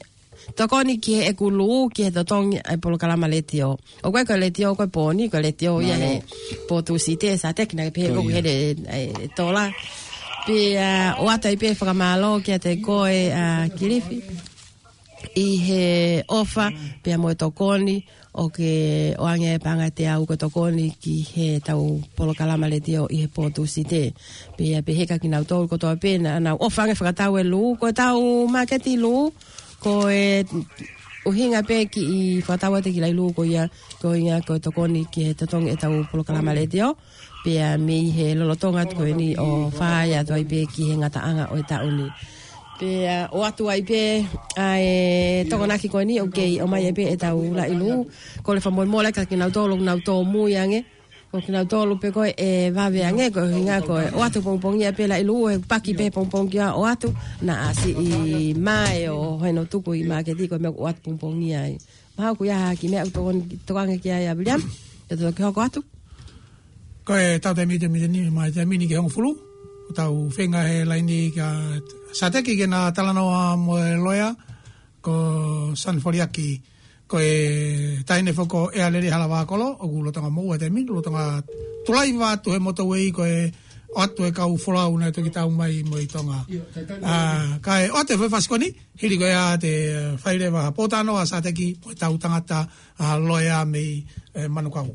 tokoni ki heʻeku lū, ki he totongi ʻa e polokalama letiō. ʻOku ʻikai ko e letiō ko e pōni, ko e letiō ia he pō Tūsite, Sateki naʻe pehē ko ia. He, e, tola. Pea ʻoatu ai pē fakamālō kiate koe, ʻa, Kilifi, ʻi he ʻofa, pea mo e tokoni, ʻo ke ʻoange ʻa e paʻanga ʻe teau ko e tokoni ki heʻetau polokalama letiō ʻi he pō Tūsite. Pea pehē kia kinautolu kotoa pē naʻa nau ʻofa ange fakatau e lū, ko ʻetau māketi lū, ko e ʻuhinga pē kiʻi fakatau atu e kiʻi laʻi lū ko ia, ko e ʻuhinga ko e tokoni ki he totongi ʻetau polokalama letiō. Pea mei he lolotonga atu ko eni ʻo fai atu ai pē ki he ngataʻanga ʻo e taʻu ni. Pea ʻoatu ai pē ʻa e tokonaki ko eni ʻoku kei ʻomai ai pē ʻetau laʻi lū. Kole fakamolemole kia kinautolu ʻoku nau tōmui ange. Ko kinautolu pē ko ē ʻe vave ange ko e ʻuhinga ko e ʻoatu pongipongia pē laʻi lū, ʻe paki pē pongipongia ʻoatu, naʻa siʻi mae ʻo heno tuku ʻi māketi ko e meʻa ʻoku ʻoatu pongipongia ai. Mahalo ʻoku ʻi ai ha kiʻi meʻa ʻoku tokon-, tokanga ki ai ʻa William, ʻe toki hoko atu. Ko e tau taimi te mite ni, mai taimi ni ki he hongofulu, ʻoku tau feinga he laini kia Sateki ke na talanoa mo e loea, ko San Foliaki, ko e taʻahine foki ko ʻEalele Halavakolo, ʻoku lolotonga moʻua he taimi ni, lolotonga tulaiva atu he motorway ko e ʻoatu e kau folau naʻe toki tau mai mo e Tonga. ʻA, kae ʻoatu e foʻi fasi ko eni, hili ko ia te, ʻa, fai leva ha pōtalanoa ʻa Sateki mo e tau tangata, ʻa, loea mei, ʻe, Manukau.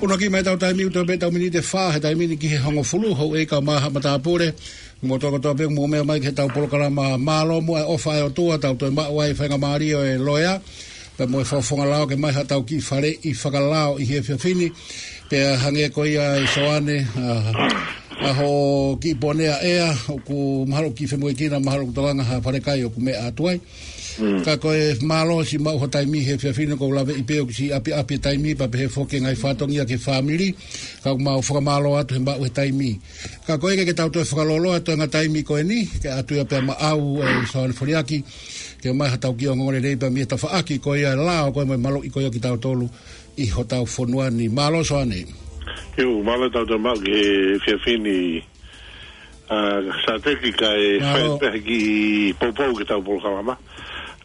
ʻUluaki mai ʻetau taimi ʻoku toe pē ʻetau miniti ʻe fā he taimi ni ki he hongofulu, houʻeiki mo e matāpule, mo e tokotaha pē ʻoku mou meʻa mai ki heʻetau polokalama. Mālō muʻa e ʻofa ʻa e ʻOtua, tau toe maʻu ai e faingamālie ʻo e loea, pea mo e fakafofonga lao ke ʻomai haʻatau kiʻi faleʻi fakalao ʻi he efiafi ni. Pea hangē ko ia ʻe Soane, ʻa, ʻa hoʻo kiʻi ponea ʻea, ʻoku mahalo ʻoku kiʻi femoʻuekina, mahalo ʻoku tokanga ha falekai ʻoku meʻa atu ai. Mm. Ka ko e mālō siʻi maʻu ho taimi he efiafi ni, ʻoku ou laveʻi pē ʻoku siʻi ʻapiʻapi e taimi pea pehē foki e ngaahi fatongia ki he fāmili. Ka ʻoku mau fakamālō atu he maʻu he taimi. Ka ko e ʻikai ke tau toe fakalōloa e toenga taimi ko eni, ke ʻatu ia pea maʻau ʻe Soane Foliaki, ke ʻomai haʻatau kiʻi ongoongolelei pea mei he tafaʻaki ko ia e lao ko ē mo e maluʻi ko ia kitautolu ʻi hotau fonua ni. Mālō Soane. ʻIo, mālō ʻetau toe maʻu ki he efiafi ni, ʻa, Sateki kae fai pē ha kiʻi poupou ki heʻetau polokalama.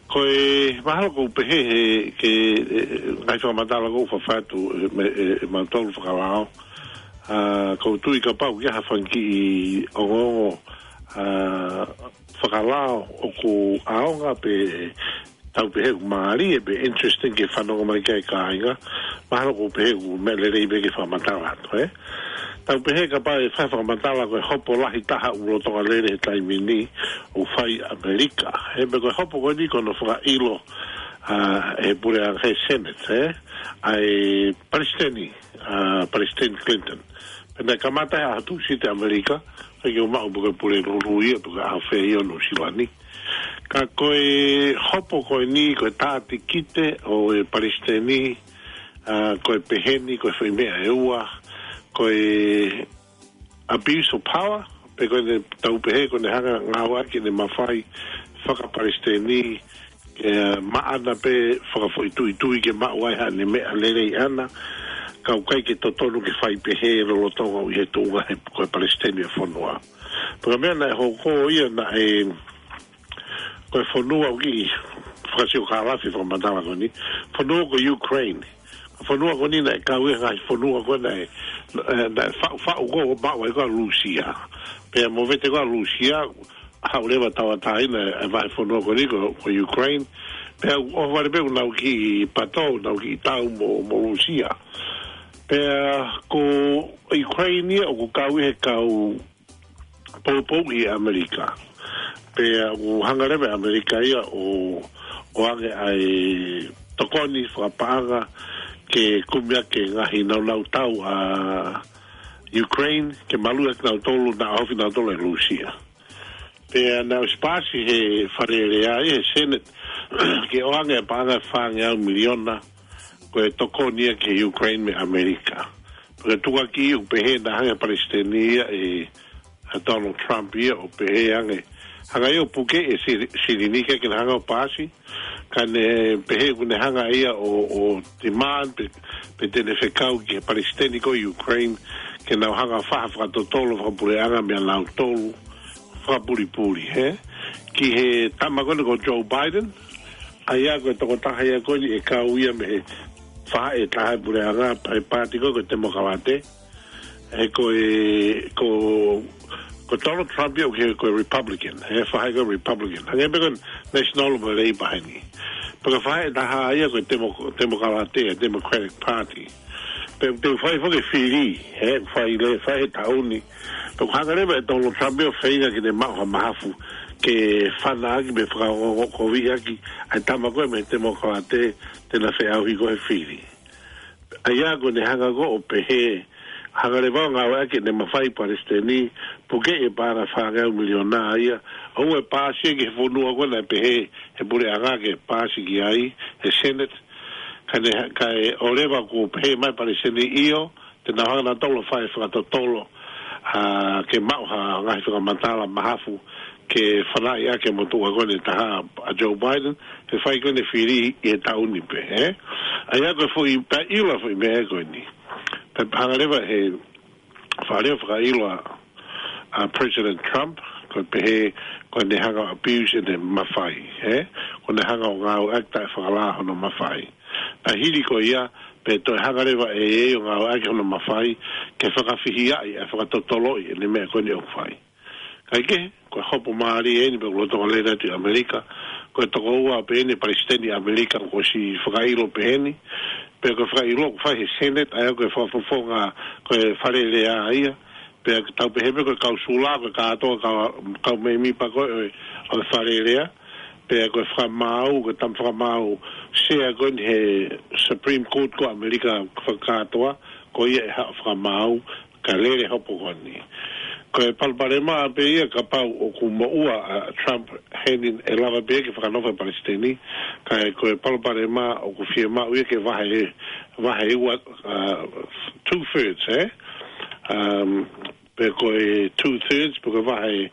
Ko e mahalo ʻoku ou pehē he, ke, ʻe, ngaahi fakamatala ʻoku ou fafatu, ʻe, me, ʻe, ʻe mautolu fakalao. ʻA, ʻoku ou tui kapau ʻoku ʻi ai ha fanga kiʻi ongoongo, ʻa, fakalao ʻoku ʻaonga pe tau pehē ʻoku mālie pe interesting ke fanongo mai ki ai e kāinga, mahalo ʻoku ou pehē ʻoku meʻa lelei pē ke fakamatala atu, ē? Tau pehē kapau ʻe fai fakamatala ko e hopo lahi taha ʻoku lolotonga lele he taimi ni ʻoku fai ʻi ʻAmelika. He meʻa ko e hopo ko eni ko hono fakaʻilo, ʻa, ʻe he puleʻanga he Senate, ē? ʻA e Palesiteni, ʻa, Palesiteni Clinton. Pea naʻe kamata he ʻaho Tūsite ʻAmelika, ʻikai ke u maʻu pe ko e pule Lulu ia, pe ko e ʻaho fē ia ʻo Nuʻusila ni. Ka ko e hopo ko eni, ko e tātikite ʻo e Palesiteni, ʻa, ko e pehē ni, ko e foʻi meʻa ʻe ua, ko e abuse of power, pe ko ʻene tau pehē, ko ʻene hanga ngāueʻaki ʻene mafai faka-Palesiteni, ke maʻana pē fakafoʻituitui ke maʻu ai haʻane meʻa lelei ʻaʻana, ka ʻoku ʻikai ke totonu ke fai pehē lolotonga ʻi he tuʻunga he ko e Palesiteni ʻo e fonua. Pea ko e meʻa naʻe hoko ia naʻe, ko e fonua ʻoku kiʻi fakasiokālafi fakamatala ko eni. Fonua ko Ukraine. Fonua ko eni naʻe kau ia he ngaahi fonua ko ē naʻe, naʻe, naʻe faʻu, faʻu ko ē ʻo maʻu ai ko ē ʻa Lūsia. Pea movete ko ē ʻa Lūsia, haʻu leva tauʻatāina e vahefonua ko eni ko, ko Ukraine. Pea ʻohovale pē ʻoku nau kiʻi pato, nau kiʻi tau mo, mo Lūsia. Pea ko Ukraine ia ʻoku kau ia he kau poupou ʻi ʻAmelika. Pea ʻoku hanga leva ʻe ʻAmelika ia ʻo, ʻoange ʻa e tokoni fakapaʻanga ke kumi ʻaki e ngaahi naunau tau ʻa Ukraine, ke maluʻi ʻaki kinautolu naʻa ofi kinautolu ʻe Lūsia. Pea naʻe ʻosi paasi he Fale Alea ia, he Senate, ke ʻoange e paʻanga ʻe fāngeau miliona, ko e tokoni ia ki Ukraine mei ʻAmelika. Pea ko e tukuakiʻi ʻoku pehē naʻe hanga ʻe he palesiteni ia ʻe, ʻa Donald Trump ia ʻo pehē ange, hanga ia ʻo puke e si-, silini ke, ke na hanga ʻo paasi, ka ne pehē ʻoku ne hanga ia ʻo, ʻo demand pe, pe te ne fekau ki he palesiteni ko Ukraine, ke nau hanga ʻo fai ha fakatotolo fakapuleʻanga meia nautolu, fakapulipuli, hē? Ki he tama ko eni ko Joe Biden, ʻa ia ko e tokotaha ia ko eni ʻe kau ia mei he faʻahi ʻe taha ʻo e puleʻanga, pa-, paati ko ē ko e Temokalate, he ko e, ko, ko Donald Trump ia ʻoku ke, ko e Republican, he faʻahi ko e Republican. Hangē pē ko e National mo e Labor heni. Pea ko e faʻahi ʻe taha ia ko e Temo-, Temokalate, Democratic Party. Pea te u fai foki e fili, he, fai le, fai he taʻu ni. Pea ʻoku hanga leva ʻe Donald Trump ia ʻo feinga ke ne maʻu ha mahafu, ke fana ʻaki pe fakaongoongokoviʻi ʻaki ʻa e tama ko ē mei he Temokalate te na feʻauhi ko ē he fili. ʻA ia ko ʻene hanga ko ē ʻo pehē, hanga leva ʻo ngāueʻaki ʻene mafai palesiteni, puke e paʻanga fāngeau miliona ia, ʻoua ʻe paasi ia ki he fonua ko ē naʻe pehē he puleʻanga ke paasi ki ai, he Senate, ka ne, kae ʻoua leva kuo pehē mai palesiteni ʻio, te nau hanga nautolu ʻo fai fakatotolo, ʻa, ke maʻu ha ngaahi fakamatala mahafu, ke fanaʻi ʻaki e motuʻa ko eni ʻe taha ʻa Joe Biden, he fai ko eni e fili ʻi he taʻu ni pē, ē? ʻA ia ko e foʻi, pea ʻilo e foʻi meʻa ko eni. Pea hanga leva he, faʻa leva fakaʻilo ʻa, ʻa President Trump, ko e pehē, ko ʻene hanga ʻo abuse ʻene mafai, ē? Ko ʻene hanga ʻo ngāueʻaki taʻefakalā hono mafai. Naʻe hili ko ia, pea toe hanga leva ʻe ia ʻo ngāueʻaki hono mafai, ke fakafihiaʻi, ʻa e fakatotoloʻi ʻene meʻa ko eni ʻoku fai. Kae kehe, ko e hopo mālie eni pea ʻoku lolotonga lele atu ʻi ʻAmelika, ko e tokoua pē eni palesiteni ʻAmelika kuo ʻosi fakaʻilo pehē ni, pea ko e fakaʻilo ʻoku fai he Senate, ʻa ia ko e fakafofonga, ko e Fale Alea ia, pea tau pehē pē ko e kau sula, ko e kātoa kau, kau mēmipa ko ē ʻo e, ʻo e Fale Alea, pea ko e fakamaau, ko e tama fakamaau, sea ko eni he Supreme Court ko ʻAmelika fakakātoa, ko ia ʻe haʻu fakamaau, ka lele hopo ko eni. Ko e palopalema pē ia kapau ʻoku moʻua ʻa Trump heni ʻe lava pē ke fakanofo e palesiteni, ka ko e palopalema ʻoku fiemaʻu ia ke vahe, vahe ua, uh, two thirds, ē? Um, pe ko e two thirds, pe ko e vahe,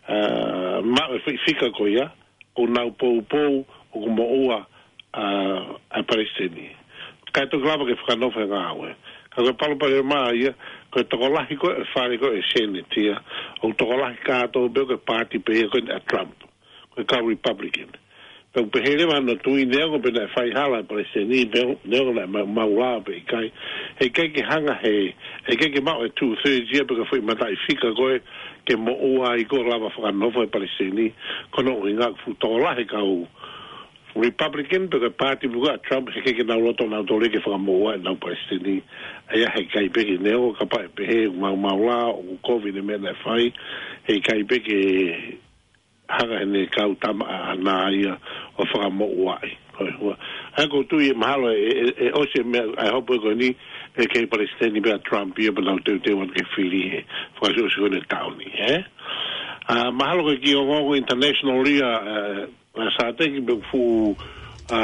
uh, maʻu e foʻi fika ko ia, ʻoku nau poupou ʻoku moʻua ʻa, ʻa e palesiteni. Kae toki lava ke fakanofo e ngāue. Ka ko e palopalema ia, ko e tokolahi ko ē e fale ko ē e Senate ia, ʻoku tokolahi kātoa pē ko e paati pē ia ko eni ʻa Trump. Ko e kau Republican. Pea ʻoku pehē leva hono tui neongo pē naʻe fai hala e palesiteni, neo-, neongo naʻe ma-, maʻulalo pe ʻikai. Heʻikai ke hanga he, heʻikai ke maʻu e two thirds ia pe ko e foʻi mataʻifika ko ē ke moʻua ai ko ē lava fakanofo e palesiteni, ko hono ʻuhinga ʻoku fuʻu tokolahi e kau Republican pe ko e paati pē ko ē ʻa Trump heʻikai ke nau loto nautolu ke fakamoʻua ʻenau palesiteni. ʻA ia heʻikai pē ke neongo kapau ʻe pehē ʻoku maʻulalo, ʻoku kovi ʻene meʻa naʻe fai, heʻikai pē ke hanga ʻe he kau tama ʻaʻana ia ʻo fakamoʻuaʻi. Ko e hua. ʻA ia ʻoku ou tui ʻe mahalo ʻe, ʻe, ʻe ʻosi e meʻa, ʻa e hopo ko eni, ʻe kei palesiteni pē ʻa Trump ia pea nau teuteu atu ke fili he fakaʻosiʻosi ko eni e taʻu ni, ē? ʻA, mahalo ko e kiʻi ongoongo international ia, ʻa, ʻa Sateki pea fuʻu, ʻa,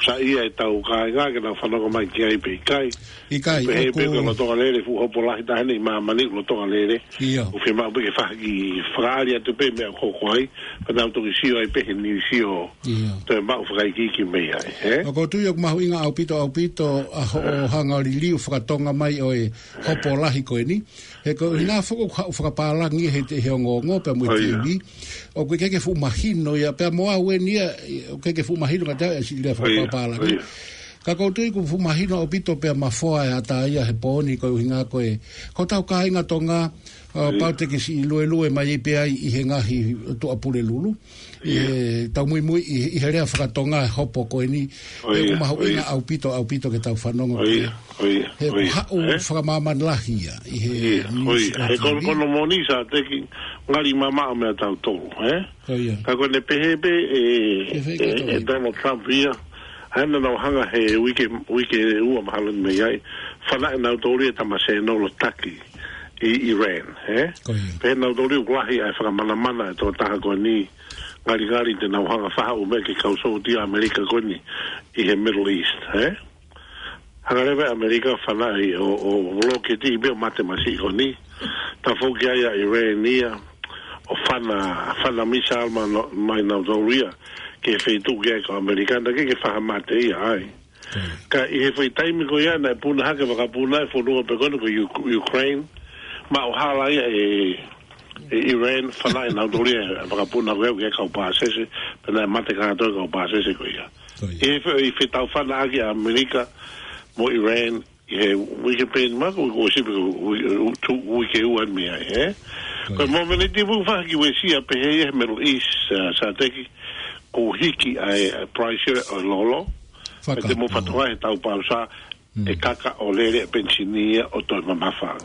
Sa ia e tau kāinga ke nau fanongo mai ki ai pe ʻikai. ʻIkai, pehē pē ʻoku ko e lolotonga lele fuʻu hopo lahi taha eni ʻi māmani, lolotonga lele. ʻIo. ʻOku fiemaʻu pē ke fai ha kiʻi fakaʻali atu pē meʻa ʻoku hoko ai, pea nau toki sio ai pē he niusi ʻo toe maʻu fakaikiiki mei ai, ē? ʻOku ou tui ʻoku mahuʻinga ʻaupito, ʻaupito ʻa hoʻo hanga ʻo liliu fakatonga mai ʻo e hopo lahi ko eni. He ko e ʻuhinga foki ʻoku haʻu fakapālangi he te he ongoongo pea mo e T V. ʻOku ʻikai ke fuʻu mahino ia, pea mo au eni ia, ʻoku ʻikai ke fuʻu mahino ka te au e siʻi lea fakapālangi. Ka ʻoku ou tui ʻoku fuʻu mahino ʻaupito pea mafoa e ata ia he pō ni ko e ʻuhinga ko e, ko hotau kāinga Tonga, ʻo pau te ke siʻi luelue mai pē ai ʻi he ngaahi tuʻapulelulu. ʻI he tau muimui, ʻi, ʻi he lea fakatonga hopo ko eni. ʻOku mahuʻinga ʻaupito, ʻaupito ke tau fanongo ki ai. He ʻoku haʻu fakamāmani lahi ia, ʻi he niusi ʻa e T V. He kono, kono moni Sateki, ngali mamaʻo meia tautolu, ē? Ka ko ʻene pehē pē ʻe, ʻe Donald Trump ia, ʻa ena nau hanga he uike, uike ua mahalo ni mei ai, fanaʻi nautolu ia e tama senolo taki ʻi Iran, ē? Pehē nautolu ia ʻoku lahi ʻa e fakamanamana e tokotaha ko eni, ngalingali te nau hanga fahaʻu meʻa ki he kau sōtia ʻAmelika ko eni ʻi he Middle East, ē? Hanga leva ʻe ʻAmelika fanaʻi ʻo, ʻo loketi pē ʻo mate masiʻi ko eni. Tafoki ai ʻa Iran ia ʻo fana, fana missile mai, mai nautolu ia ki he feituʻu ki ai ko ʻAmelika, naʻe ʻikai ke fahamate ia ai. Ka ʻi he foʻi taimi ko ia naʻe puna hake vakapuna e fonua pē ko eni ko Uk-, Ukraine, maʻu hala ia ʻe, ʻe Iran, fanaʻi nautolu ia e vakapuna ko ia ki he kau pāsese, pea naʻe mate kātoa e kau pāsese ko ia. ʻI he fe-, ʻi he fetau fanaʻaki ʻa ʻAmelika mo Iran, ʻi he uike pē ni mako, ko sipi ko ui-, u-, tu-, uike ua mei ai, ē? Ko e momeniti ʻoku fai ki he uesia pehē ia he Middle East, ā, Sateki, ʻoku hiki ʻa e, ʻa e price ʻo e lolo. Pea te mou fakatokangaʻi he taupau sā, ʻe kaka ʻo lele e penisini ia ʻo toe mamafa.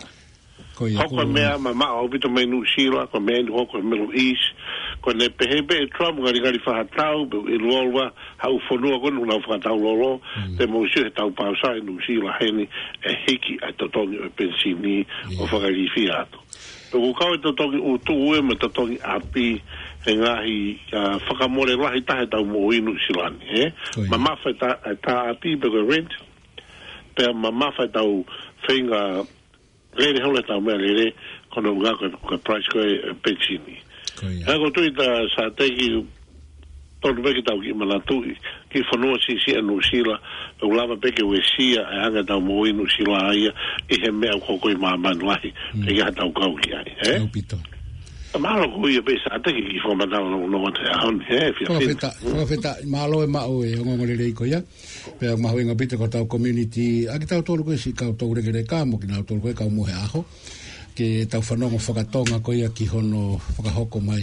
Hoko e meʻa mamaʻo ʻaupito mei Nuʻusila, ko e meʻa eni hoko he Middle East, ko ʻene pehē pē ʻe Trump ngalingali fai ha tau, pe ʻe loloa, ha ʻū fonua ko eni ʻoku nau fakatau lolo, te mou sio he taupau sā ʻi Nuʻusila heni, ʻe hiki ʻa e totongi ʻo e penisini ʻo fakalilifu atu. Pea ʻoku kau e totongi ʻutu ʻe mo e totongi ʻapi he ngaahi, ā, fakamole lahi taha ʻetau moʻui Nuʻusila ni, ē? Mamafa e tā, e tā ʻapi pe ko e rent, pea mamafa ʻetau feinga lele holo ʻetau meʻalele, ko hono ʻuhinga ko e, ko e price ko e, e penisini. Ka ʻoku ou tui tā Sateki tonu pē ke tau kiʻi manatuʻi, kiʻi fonua siʻisiʻi ʻa Nuʻusila, ʻoku lava pē ke uesia e anga ʻetau moʻui Nuʻusila ia, ʻi he meʻa ʻoku hoko ʻi māmani lahi, ʻikai ha tau kau ki ai, ē? Mālō ko ia pē Sateki kiʻi fakamatala no, no mate a hon, ē, fia fina. Fakafetaʻi, mālō e maʻu e ongoongo lelei ko ia. Pea mahuʻinga ʻaupito ko hotau community, ʻa kitautolu ko e siʻi kau toulekeleka mo kinautolu ko e kau mohe ʻaho. Ke tau fanongo fakatonga ko ia ki hono fakahoko mai.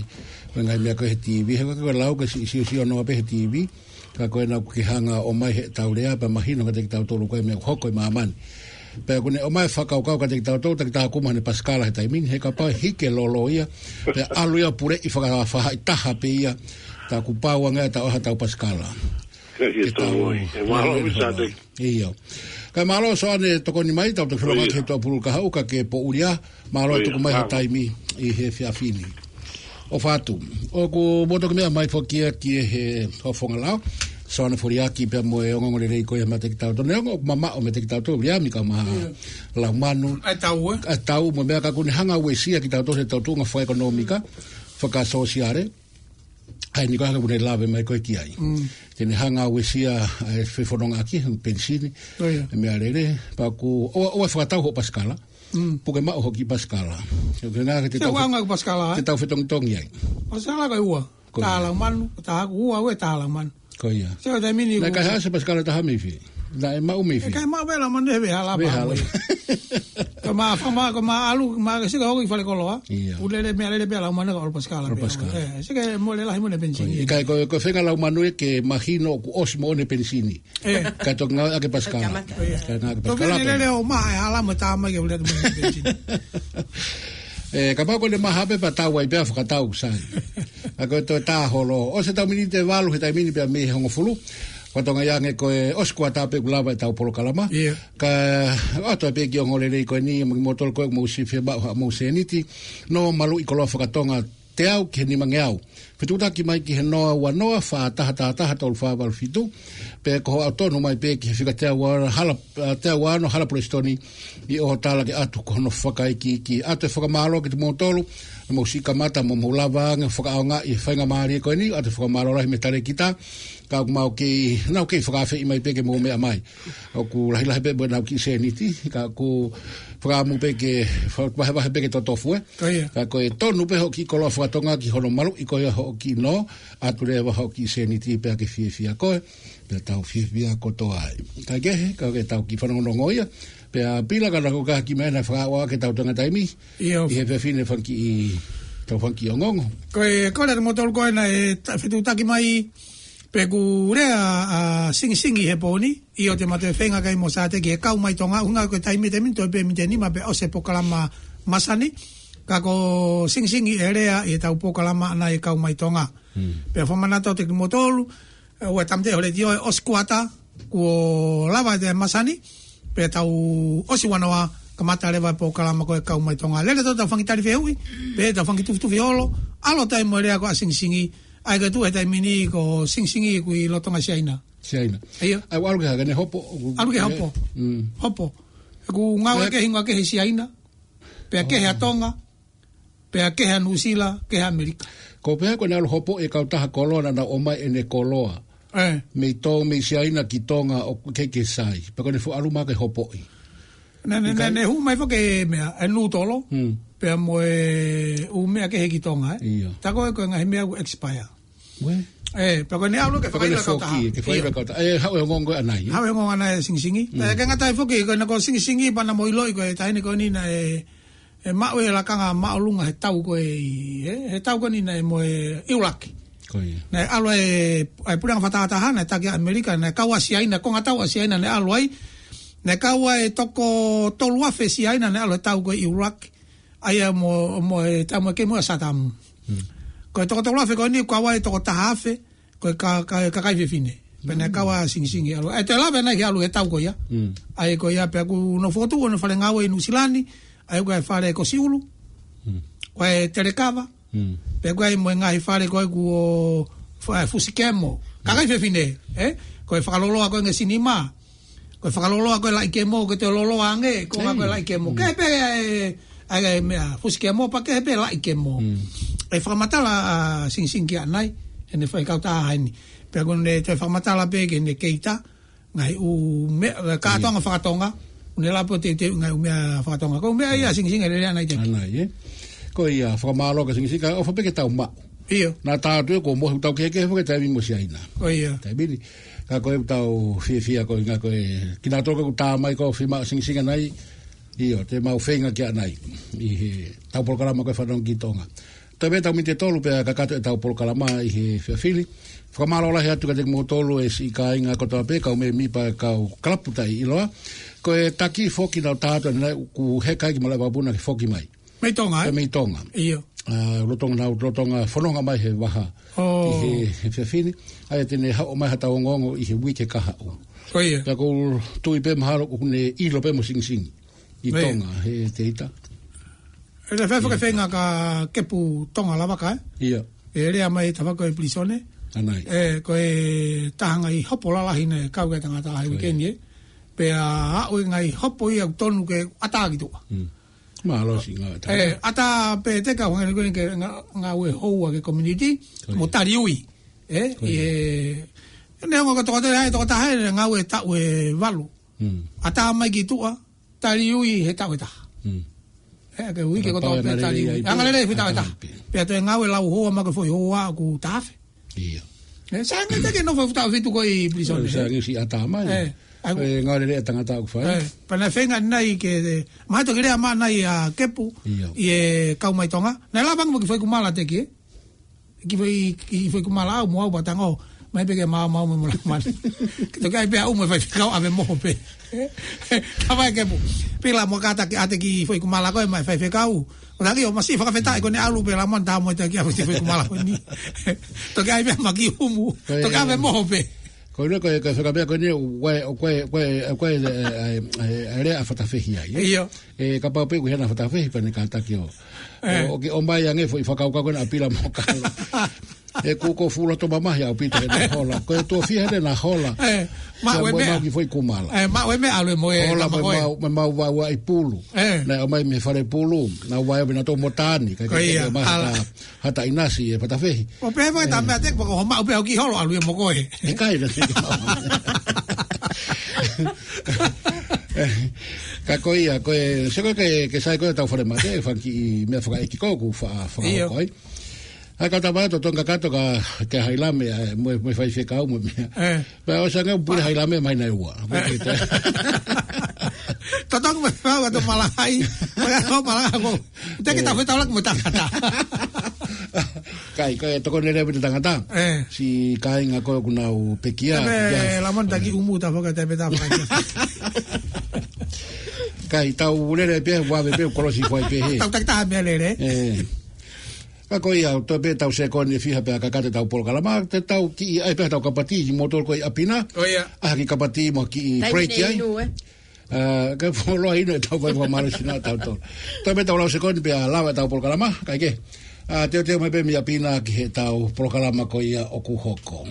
Ko e ngaahi meʻa ko e he T V, he ko e lau ko e siʻi siosio noa pē he T V. Ka ko ena ʻoku ke hanga ʻo ʻomai heʻetau lea, pea mahino kiate kitautolu ko e meʻa ʻoku hoko ʻi māmani. Pea ʻoku ne ʻomai e fakakaukau kiate kitautolu, tā kita ʻoku maʻu ʻene pasikala he taimi ni, he kapau ʻe hiki e lolo ia, pea ʻalu ia puleʻi faka-, fahaʻitaha pē ia, tā kuo pau ange ia ʻetau ʻaho ʻetau pasikala. Ke tau, ʻe mālō ʻaupito Sateki. ʻIo. Kae mālō Soane tokoni mai, tau toki feʻiloaki he tuʻapulelulu kahaʻu ka ke poʻuli ā, mālō e tuku mai ho taimi ʻi he efiafi ni. ʻO fatu. ʻOku mou toki meʻa mai foki ia ki he Hofonga Lao. Soane Foliaki pea mo e ongoongo lelei ko ia meiate kitautolu. Neongo ʻoku mamaʻo meiate kitautolu, Viliami kae ʻumaʻā Laumanu. ʻA e tau, ē? ʻA e tau mo e meʻa ka ʻoku ne hanga uesia kitautolu he tau tuʻunga fakaʻekonōmika, fakasōsiale. ʻA eni ko e hanga ʻoku ne lave mai ko e ki ai. Te ne hanga uesia ʻa e fefonongaʻaki, penisini, e meʻalele, pea ʻoku, ʻoua, ʻoua fakatau hoʻo pasikala. Puke maʻu hoʻo kiʻi pasikala. Ke ngā ke te tau, ke tau fetongitongi ai. Pasikala ko e ua. Tā Laumanu, tā haku ua, ua tā Laumanu. Ko ia. Naʻe kaihaʻasi e pasikala ʻe taha mei fē? Naʻe maʻu mei fē? ʻIkai maʻu pē Laumanu he vehala. Vehala. Ko e mā, ko e mā ʻalu, mā ke sika hoki falekoloa. ʻIo. Pulele meʻalele pē Laumanu ka ʻalu pasikala pē. ʻAlu pasikala. Sika mo e lele lahi mo ʻene penisini. ʻIkai ko, ko e feinga Laumanu ia ke mahino ʻoku ʻosi moʻoni e penisini. Kae toki ngāueʻaki e pasikala. Kae ngāueʻaki e pasikala. Tokeni lele ʻo maʻa e hala mo tā mai ke ule atu mo e penisini. Kapau ko ʻene maha pē pea tau ai pea fakatau sai. Ka ko e toe tā holo. ʻOsi ʻetau miniti ʻe valu he taimi ni pea mei he hongofulu. Ko e tonga ia ange ko e ʻosi kuata pē ʻoku lava ʻetau polokalama. Ka ʻoatu pē kiʻi ongoongo lelei ko eni, mo kimoutolu ko ē ʻoku mou siʻi fiemaʻu haʻamou sēniti. Nō maluʻi koloa fakatonga teau ki he nimangeau. Fetuʻutaki mai ki he noa ua noa, fā taha taha taha, tolu fā valu fitu. Pea ko hoʻo tonu mai pē ki he fika teau ua hala, ā, teau ua ono hala Pulesitoni ʻi hoʻo tala ke ʻatu ko hono fakaikiiki. ʻOatu e fakamālō kimoutolu, naʻa mou siʻi kamata mo mou lava ange fakaʻaongaʻi e faingamālie ko eni, ʻoatu e fakamālō lahi mei he talēkita, ka ʻoku mau kei, naʻa mau kei fakaafeʻi mai pē ke mou meʻa mai. ʻOku lahilahi pē mo ʻenau kiʻi sēniti, ka ʻoku fakaʻamu pē ke, fa-, vahevahe pē ke totofu, ē. Ko ia. Ka ko e tonu pē hoʻo kiʻi koloa fakatonga ki hono maluʻi ko ia hoʻo kiʻi nō, ʻatu leva hoʻo kiʻi sēniti pea ke fiefia koe, pea tau fiefia kotoa ai. Kae kehe, ka ke tau kiʻi fanongonongo ia, pea Pila ka naʻa ko e kiʻi meʻa naʻe fakaʻau ke tau tenga taimi, ʻIo. ʻi he efiafi ni fanga kiʻi, tau fanga kiʻi ongoongo. Ko e, ko e lea mo tolu ko ena e ta-, fetuʻutaki mai, pea kuo lea ʻa Singisingi he pō ni, ʻio te ma toe feinga ki ai mo Sāteki he Kau Mai Tonga, ʻuhinga ko e taimi, taimi toe pē miniti ʻe nima pea ʻosi e polokalama masani, ka ko Singisingi e lea ʻi heʻetau polokalama ʻana ʻi he Kau Mai Tonga. Hmm. Pea fakamanatu atu kimoutolu, ē, ʻoua ʻe tāmateʻi ho letiō, ʻosi kuata, kuo lava e masani, pea tau ʻosi ua noa, kamata leva e polokalama ko e Kau Mai Tonga. Lele atu ʻetau fanga kiʻi tali fehuʻi, pea ʻetau fanga kiʻi tufitufi holo, ʻalu atu ai mo e lea ko ē ʻa Singisingi, ʻa ia ko e tuʻu he taimi ni ko Singisingi ʻoku ʻi lolotonga Siaina. Siaina. ʻIo. ʻA ia ʻalu ki he hā, ke ne hopo, ʻoku ʻAlu ki he hopo. Mm. Hopo. He ʻoku ngāue Pea kehe, ngāue kehe ʻi Siaina. Pea kehe ʻa Oh. Tonga. Pea kehe ʻa Nuʻusila, kehe ʻa ʻAmelika. Ko e pehē ko ʻene ʻalu hopoʻi e kautaha koloa naʻa nau ʻomai ʻene koloa. Ē. Mei Tō-, mei Siaina ki Tonga ʻoku ʻikai ke sai. Pea ko ʻene fuʻu ʻalu mai ke hopoʻi. Naʻe, naʻe, ʻIkai. naʻe, naʻe hū mai foki e meʻa, e nūtolo. Hmm. Pea mo e ʻū meʻa kehe ki Tonga, ē. ʻIo. Tā ko ē ko e ngaahi meʻa ʻoku expire. Uē. Ē, pea ko ʻene ʻalu ke Pea ko ʻene fakaʻilo e kautaha. foki, ke fakaʻilo e ʻIo. kautaha. Ē, haʻu e ongoongo ʻanai, ē? Haʻu e ongoongo ʻanai ʻa Singisingi. Mm. Ē, ke ngata ai foki, ko ʻene ko Singisingi, pea naʻa mou ʻiloʻi ko e taʻahine ko eni naʻe, ē, maʻu e lakanga māʻolunga he tau ko ē ʻi, ē, he tau ko eni naʻe mo e ʻIulaki. Ko ia. Naʻe ʻalu e, e puleʻanga fakatahataha, naʻe taki ʻa ʻAmelika, naʻe kau ʻa Siaina, konga tau ʻa Siaina naʻe ʻalu ai. Naʻe kau ai e toko tolu afe Siaina naʻe ʻalu he tau ko ē ʻIulaki. ʻA ia mo, mo e tau mo e kei mo e Satamu. Hmm. Ko e toko tolu afe ko eni kau ai e toko taha afe, ko e ka-, ka-, kakai fefine. Pea naʻe kau ʻa Singisingi ʻalu. ʻE toe lava ʻanai ke ʻalu he tau ko ia. Mm. ʻA ia ko ia pea kuo nau fokotuʻu hono fale ngāue ʻi Nuʻusila ni, ʻa ia ko e fale ko Siulu. Mm. Ko e Telekava. Mm. Pea ko e mo e ngaahi fale ko ē kuo fa-, Fusikemo. Kakai fefine, ē? Ko e fakaloloa ko ē nge sinima. Ko e fakaloloa ko ē laʻi kemo, ke toe loloa ange, ko e ngaahi ko ē Ei. laʻi kemo. Mm. Kehe pē, ē, ʻa e meʻa, Fusikemo pea kehe pē laʻi kemo. Mm. ʻE fakamatala ʻa Singisingi ki ʻanai, ʻene fai kautaha ʻi heni. Pea ko ʻene toe fakamatala pē ki heʻene keita, ngaahi ʻū meʻa, kātoanga fakatonga, ʻene lava pē ʻo teuteu ngaahi ʻū meʻa fakatonga. Ko e meʻa ia Singisingi ʻe lele ʻanai te. ʻAnai, ē? Ko ia, fakamālō kia Singisingi, ka ʻofa pē ke tau maʻu. ʻIo. Naʻa tau atu ē, ko e mohe ʻetau kehekehe foki e taimi mo Siaina. Ko ia. Taimi ni. Ka ko e tau fiefia ko e ngaahi ko e, kinautolu ko ē ʻoku tā mai ko e fiemaʻu ʻa Singisingi ʻanai. ʻIo, te mau feinga ki ʻanai. ʻI heʻetau polokalama ko e Fanongo ki Tonga. Toe pē ʻetau miniti ʻe tolu pea kakato ʻetau polokalama ʻi he efiafi ni. Fakamālō lahi atu kiate kimoutolu e siʻi kāinga kotoa pē, kau mēmipa e kau kalapu taʻeʻiloa. Ko e taki foki naʻa tau tā atu ʻanenai ʻoku heka ai ki malaʻe vakapuna ke foki mai. Mei Tonga, ē? Pea mei Tonga. ʻIo. ʻA, lolotonga nau, lolotonga fononga mai he vaha. ʻOi. ʻI he, he efiafi ni. ʻA ia te ne haʻu mai haʻatau ongoongo ʻi he uike kahaʻu. Ko ia. Pea ʻoku ou tui pē mahalo ʻoku ne ʻilo pē mo Singisingi. ʻI Ko ia. Tonga, he teita. ʻE le fefo ke feinga kia Kepu Tonga Lavaka, ē? ʻIo. ʻE lea mai he tafaʻaki ʻo e pilīsone. ʻAnai. ʻE, ko e taha e ngaahi hopo lalahi naʻe kau ki ai e tangata he Ko ia. uike ni, ē? Pea aʻu e ngaahi hopo ia ʻoku tonu ke ʻatā ki tuʻa. Mm. Mālohi ngā ʻatā. ʻE, ʻatā pē te ka hangē ko eni ke ngā-, ngāue houa ki he community, Ko ia. mo taliui. ʻE, Ko ia. ʻe, neongo ko e tokotaha, tokotaha ʻe ngāue taʻu ʻe valu. Mm. ʻAtā mai ki tuʻa, taliui he taʻu ʻe taha. Mm. ʻE, ke uike ko Pau tau e pē ngalele taliui. ai pē. ʻA, ngalele he taʻu ʻe taha. ʻAtā pē. Pea toe ngāue lau hoa mo e foʻi hoa ʻoku taha afe. ʻIo. ʻE, sānge te ke nofo he taʻu ʻe fitu ko ē ʻi pilīsone, ʻE, ē? sānge siʻi ʻatā mai. ʻE, ʻa, ʻE, ngalele ʻa e tangata ʻoku fai. ʻE, pea naʻe feinga ʻanenai ke, ʻe, mahalo toki lea mai ʻanai ʻa Kepu, ʻIo. ʻi he Kau Mai Tonga. Naʻe lava ange mo e kiʻi foʻi kumala teki, ē? Kiʻi foʻi, kiʻi foʻi kumala ʻaʻau mo au pea tango. Mai pē ke maumau mo e mola mani. Ke toki ʻai pē ʻaʻau mo e faifekau ʻave moho pē. Ka vai Kepu. Pila mo kātaki ʻa e kiʻi foʻi kumala ko ē maʻa e faifekau. ʻO taki ʻo masi fakafetaʻi ko ʻene ʻalu pē la mani tā mo e taki ʻave kiʻi foʻi kumala ko eni. Toki ʻai pē ma kiʻi humu. Ko e Toki ʻave moho pē. Ko ʻene ko e, ko e fekau pē ko ʻene, ʻoku ʻi ai, ʻoku ʻi ai, ʻoku ʻi ai, ʻe, ʻe, ʻe, ʻe, lea ʻa Fatafehi ai, ē? ʻIo. ʻE, kapau pē ʻoku ʻi ai ha Fatafehi pea ne kātaki ʻo, ʻE. ʻo, ʻoku ke ʻomai ange foʻi fakakaukau ko ena ʻa Pila mo Kalo. He kuo ko fulo to mamahi ʻaupito he naʻe hola. Ko e tuʻo fiha he naʻe hola. Eh, ma Sa we mo e mea. mau ki foʻi kumala. Eh, ma we mea ʻalu e mo e Hola tama mo e ko e. mau, mo e mau vau ʻi pulu. Eh. Naʻe ʻomai mei he fale pulu. Naʻa vae vina to mo tani. Ka Ko ia, ke mai ala. ha, ha taʻinasi e patafehi. ʻO pehē mai tā mea te, ko ho maʻu pē au ki holo ʻalu e mo ko e. ʻIkai na te ke mau. Ka ko ia, ko e, se ko ke, ke sai ko e tau fale mate, fanga kiʻi meʻa fakaʻeiki ko ku fa, Io. fakahoko ai. ʻA ka tama to tonga kato ka, ke hailame, ʻa, mo, mo faifekau mo meʻa. Eh. Pea ʻosi ange pule hailame mai na ua. Mo Eh. ke te. Totongi mo fau atu malahai, mo e ʻaho malahai ko. Te ke Eh. tau fetau laki mo tangata. Kai, kai, toko nele mo te tangata. Eh. Si kāinga ko ʻoku nau pekia, Tepe ia. lamon taki umu ta faka, tepe ta faka. Kai, tau lele pē, vave pē, kolosi fai pē he. Tau taki taha mea lele. Eh. Ka ko ia, to pē tau sekoni fiha pē ka kate tau polokalama, te tau kiʻi, ʻai pē tau kapati, mo tol ko i ʻapi na. Ko ia. ʻA ki kapati mo kiʻi Taimi break nei ai. inu, eh. Ah, ka foloa inu e tau vai fua malo sina tau tol. To pē tau lau sekoni pē a lava tau polokalama, kai ke. Ah, teo teo mai pē mi ʻapi na ki he tau polokalama ko ia ʻoku hoko.